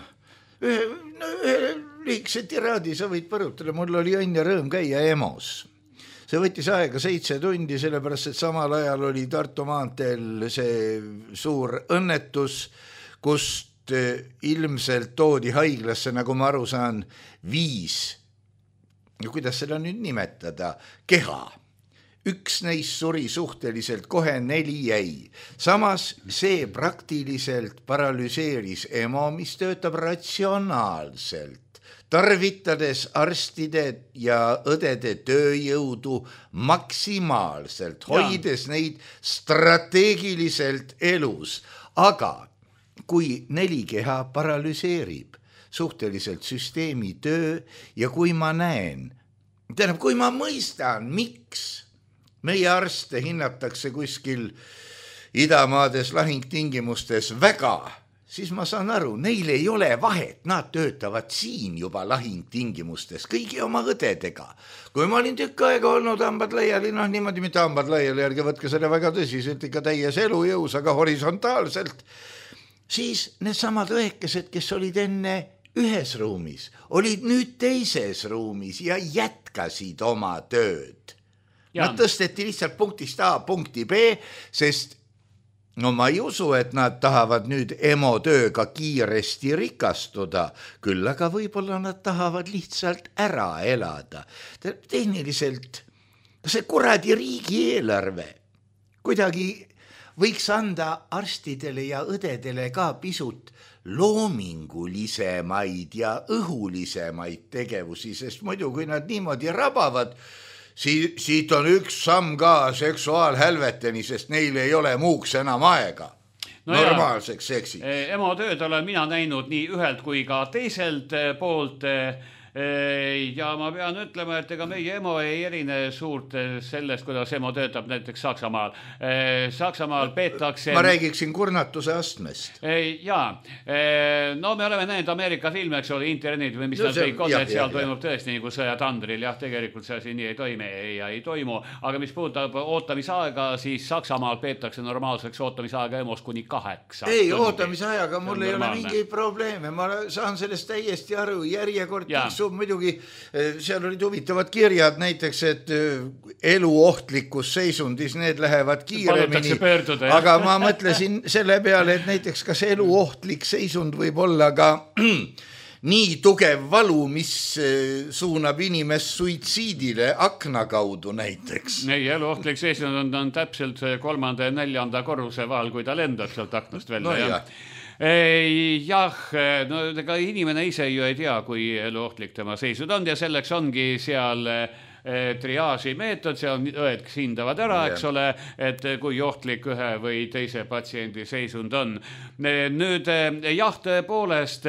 Ühe liigse tiraadi sa võid põrutada, mul oli õnn ja rõõm käia EMO-s. See võttis aega 7 tundi, sellepärast, et samal ajal oli Tartu maanteel see suur õnnetus, kust ilmselt toodi haiglasse, nagu ma aru saan, 5, kuidas seda nüüd nimetada, keha. Üks neist suri suhteliselt kohe, 4 jäi. Samas see praktiliselt paralüseeris EMO, mis töötab ratsionaalselt, tarvitades arstide ja õdede tööjõudu maksimaalselt, hoides neid strateegiliselt elus. Aga kui 4 keha paralüseerib suhteliselt süsteemi töö ja kui ma näen, kui ma mõistan, miks meie arste hinnatakse kuskil idamaades lahingtingimustes väga, siis ma saan aru, neil ei ole vahet, nad töötavad siin juba lahingtingimustes, kõigi oma õdedega. Kui ma olin tükk aega olnud hambad laiali, niimoodi mitte hambad laiali, ärge võtke selle väga tõsiselt, ikka täies elujõus, aga horisontaalselt, siis need samad õekesed, kes olid enne ühes ruumis, olid nüüd teises ruumis ja jätkasid oma tööd. Nad tõsteti lihtsalt punktist A punkti B, sest ma ei usu, et nad tahavad nüüd EMO tööga kiiresti rikastuda, küll aga võib-olla nad tahavad lihtsalt ära elada. Tehniliselt see kuradi riigieelarve kuidagi võiks anda arstidele ja õdedele ka pisut loomingulisemaid ja õhulisemaid tegevusi, sest muidu kui nad niimoodi rabavad, siit on üks samm ka seksuaalhälveteni, sest neil ei ole muuks enam aega. Normaalseks seksi. EMO tööd olen mina näinud nii ühelt kui ka teiselt poolt ja ma pean ütlema, et ega meie EMO ei erine suurt sellest, kuidas EMO töötab näiteks Saksamaal. Saksamaal peetakse... Ma räägiksin kurnatuse astmest. Jaa, no me oleme näinud Ameerika filme, eks ole, internetid või mis nad kõik on, et seal toimub tõesti nagu sõjatandril. Jah, tegelikult see asi nii ei toime ja ei toimu. Aga mis puudutab ootamisaega, siis Saksamaal peetakse normaalseks ootamisaega EMO-s kuni 8. Ei, ootamisajaga mul ei ole mingeid probleeme. Ma saan sellest täiesti aru, järjekord muidugi seal olid huvitavad kirjad näiteks, et eluohtlikus seisundis need lähevad kiiremini, aga ma mõtlesin selle peale, et näiteks kas eluohtlik seisund võib olla ka nii tugev valu, mis suunab inimest suitsiidile akna kaudu näiteks. Ei, eluohtlik seisund on täpselt 3. ja 4. korruse vahel, kui ta lendab sealt aknast välja. No, jah, no ega inimene ise ju ei tea, kui eluohtlik tema seisund on ja selleks ongi seal triaaži meetod, seal on õed, kes hindavad ära, eks ole, et kui ohtlik ühe või teise patsiendi seisund on. Nüüd jah, tõepoolest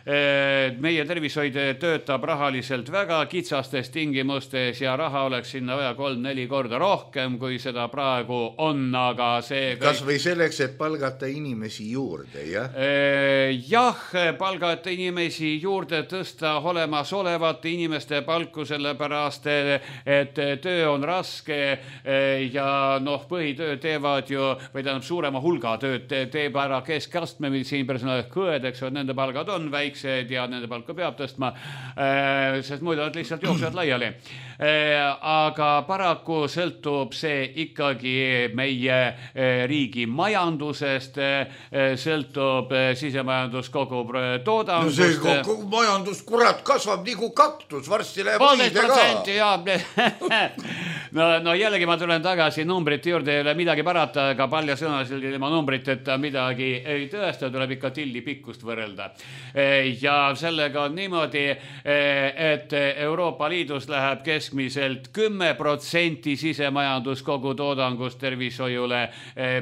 meie tervishoid töötab rahaliselt väga kitsastes tingimustes ja raha oleks sinna vaja 3-4 korda rohkem, kui seda praegu on, aga see... Kas või selleks, et palgata inimesi juurde, jah? Jah, palgata inimesi juurde, tõsta olemasolevate inimeste palku, sellepärast, et töö on raske ja põhitöö teevad ju, või tähendab suurema hulga tööd teeb ära keskastme meditsiinipersonal, õed, eks, nende palgad on väiksed ja nende palka peab tõstma, sest muidu nad lihtsalt jooksevad laiali. Aga paraku sõltub see ikkagi meie riigi majandusest, sõltub sisemajandus kogu toodangust. No see majandus, kurat, kasvab nagu kaktus, varsti läheb õide ka. No jällegi ma tulen tagasi numbrite juurde, ei ole midagi parata, aga paljasõnaliselt ilma numbriteta midagi ei tõesta, tuleb ikka tilli pikkust võrrelda. Ja sellega on niimoodi, et Euroopa Liidus läheb keskmiselt 10% sisemajandus kogu toodangust tervishoiule,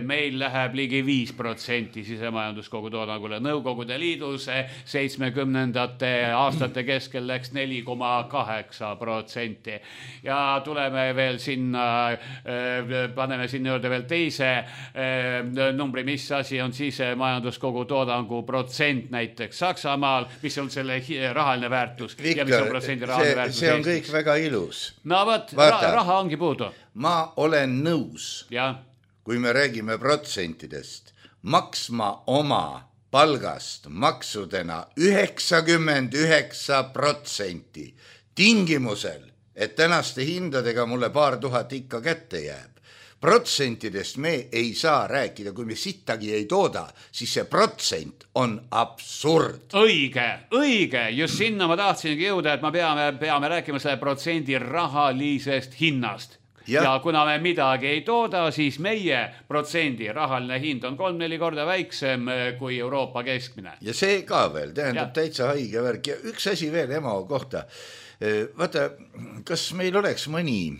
meil läheb ligi 5% sisemajandus kogu toodangule. Nõukogude Liidus 70ndate aastate keskel läks 4,8%. Ja tuleme veel sinna, paneme sinna juurde veel teise numbri, mis asi on sisemajandus kogu toodangu protsent näiteks Saksamaal, mis on selle rahaline väärtus. Viktor, ja mis on protsendi rahaline väärtus see on kõik väga ilus. No võt, raha ongi puudu. Ma olen nõus, ja. Kui me räägime protsentidest, maksma oma palgast maksudena 99% tingimusel, et tänaste hindadega mulle paar tuhat ikka kätte jääb. Protsentidest me ei saa rääkida, kui me sittagi ei tooda, siis see protsent on absurd. Õige, just sinna ma tahtsingi jõuda, et me peame rääkima selle protsendi rahalisest hinnast. Ja kuna me midagi ei tooda, siis meie protsendi rahaline hind on 3-4 korda väiksem kui Euroopa keskmine. Ja see ka veel, tähendab täitsa haige värk. Ja üks asi veel EMO kohta. Vaata, kas meil oleks mõni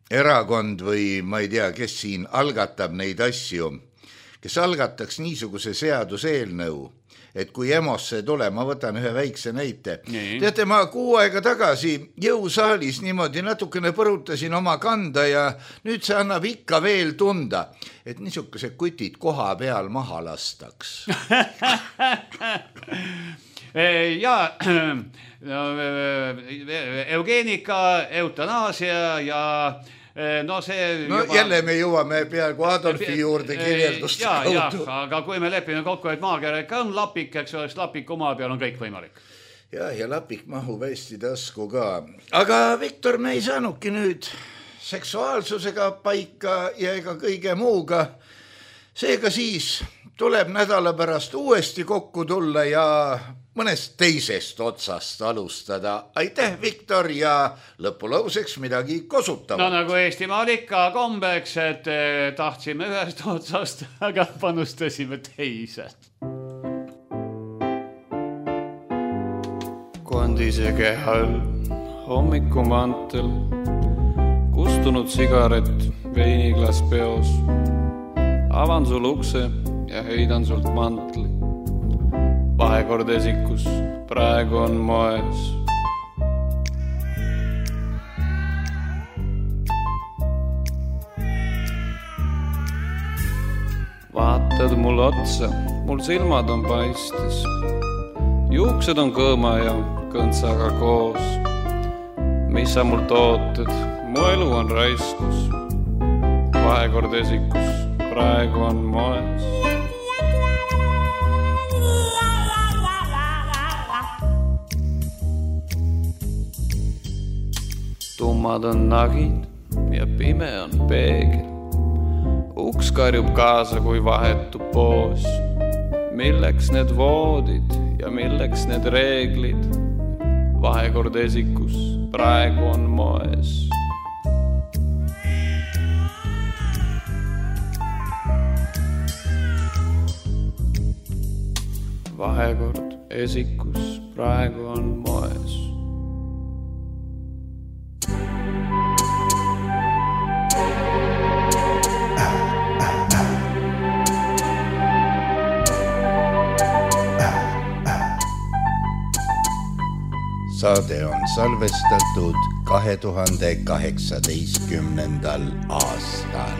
erakond või ma ei tea, kes siin algatab neid asju, kes algataks niisuguse seaduseelnõu, et kui EMO-sse tule, ma võtan ühe väikse näite. Teate, ma 6 aega tagasi jõusaalis niimoodi natukene põrutasin oma kanda ja nüüd see annab ikka veel tunda, et niisugused kutid koha peal maha lastaks. Ja eugeenika, eutanaasia ja see juba... jälle me jõuame peaaegu Adolfi juurde kirjeldust kaudu. Aga kui me lepime kokku, et maakera ikka on lapik, eks oleks lapik oma peal on kõik võimalik. Ja lapik mahub hästi tasku ka. Aga Viktor, me ei saanudki nüüd seksuaalsusega paika ja ega kõige muuga. Seega siis tuleb nädala pärast uuesti kokku tulla ja mõnest teisest otsast alustada. Aitäh, Viktor, ja lõpulauseks midagi kosutama. No nagu Eestimaal ikka kombeks, et tahtsime ühest otsast, aga panustasime teise. Kondise kehal, hommikumantel, kustunud sigaret, veiniglas peos. Avan sul ukse ja heidan sult mantli. Vahekord esikus, praegu on moes. Vaatad mul otsa, mul silmad on paistes. Juuksed on kõõma ja kõntsaga koos. Mis sa mul tooted, mu elu on raiskus. Vahekord esikus, praegu on moes. Tummad on nagid ja pime on peegel. Uks karjub kaasa, kui vahetub poos. Milleks need voodid ja ja milleks need reeglid? Vahekord esikus praegu on moes. Vahekord esikus praegu on moes. Saade on salvestatud 2018. aastal.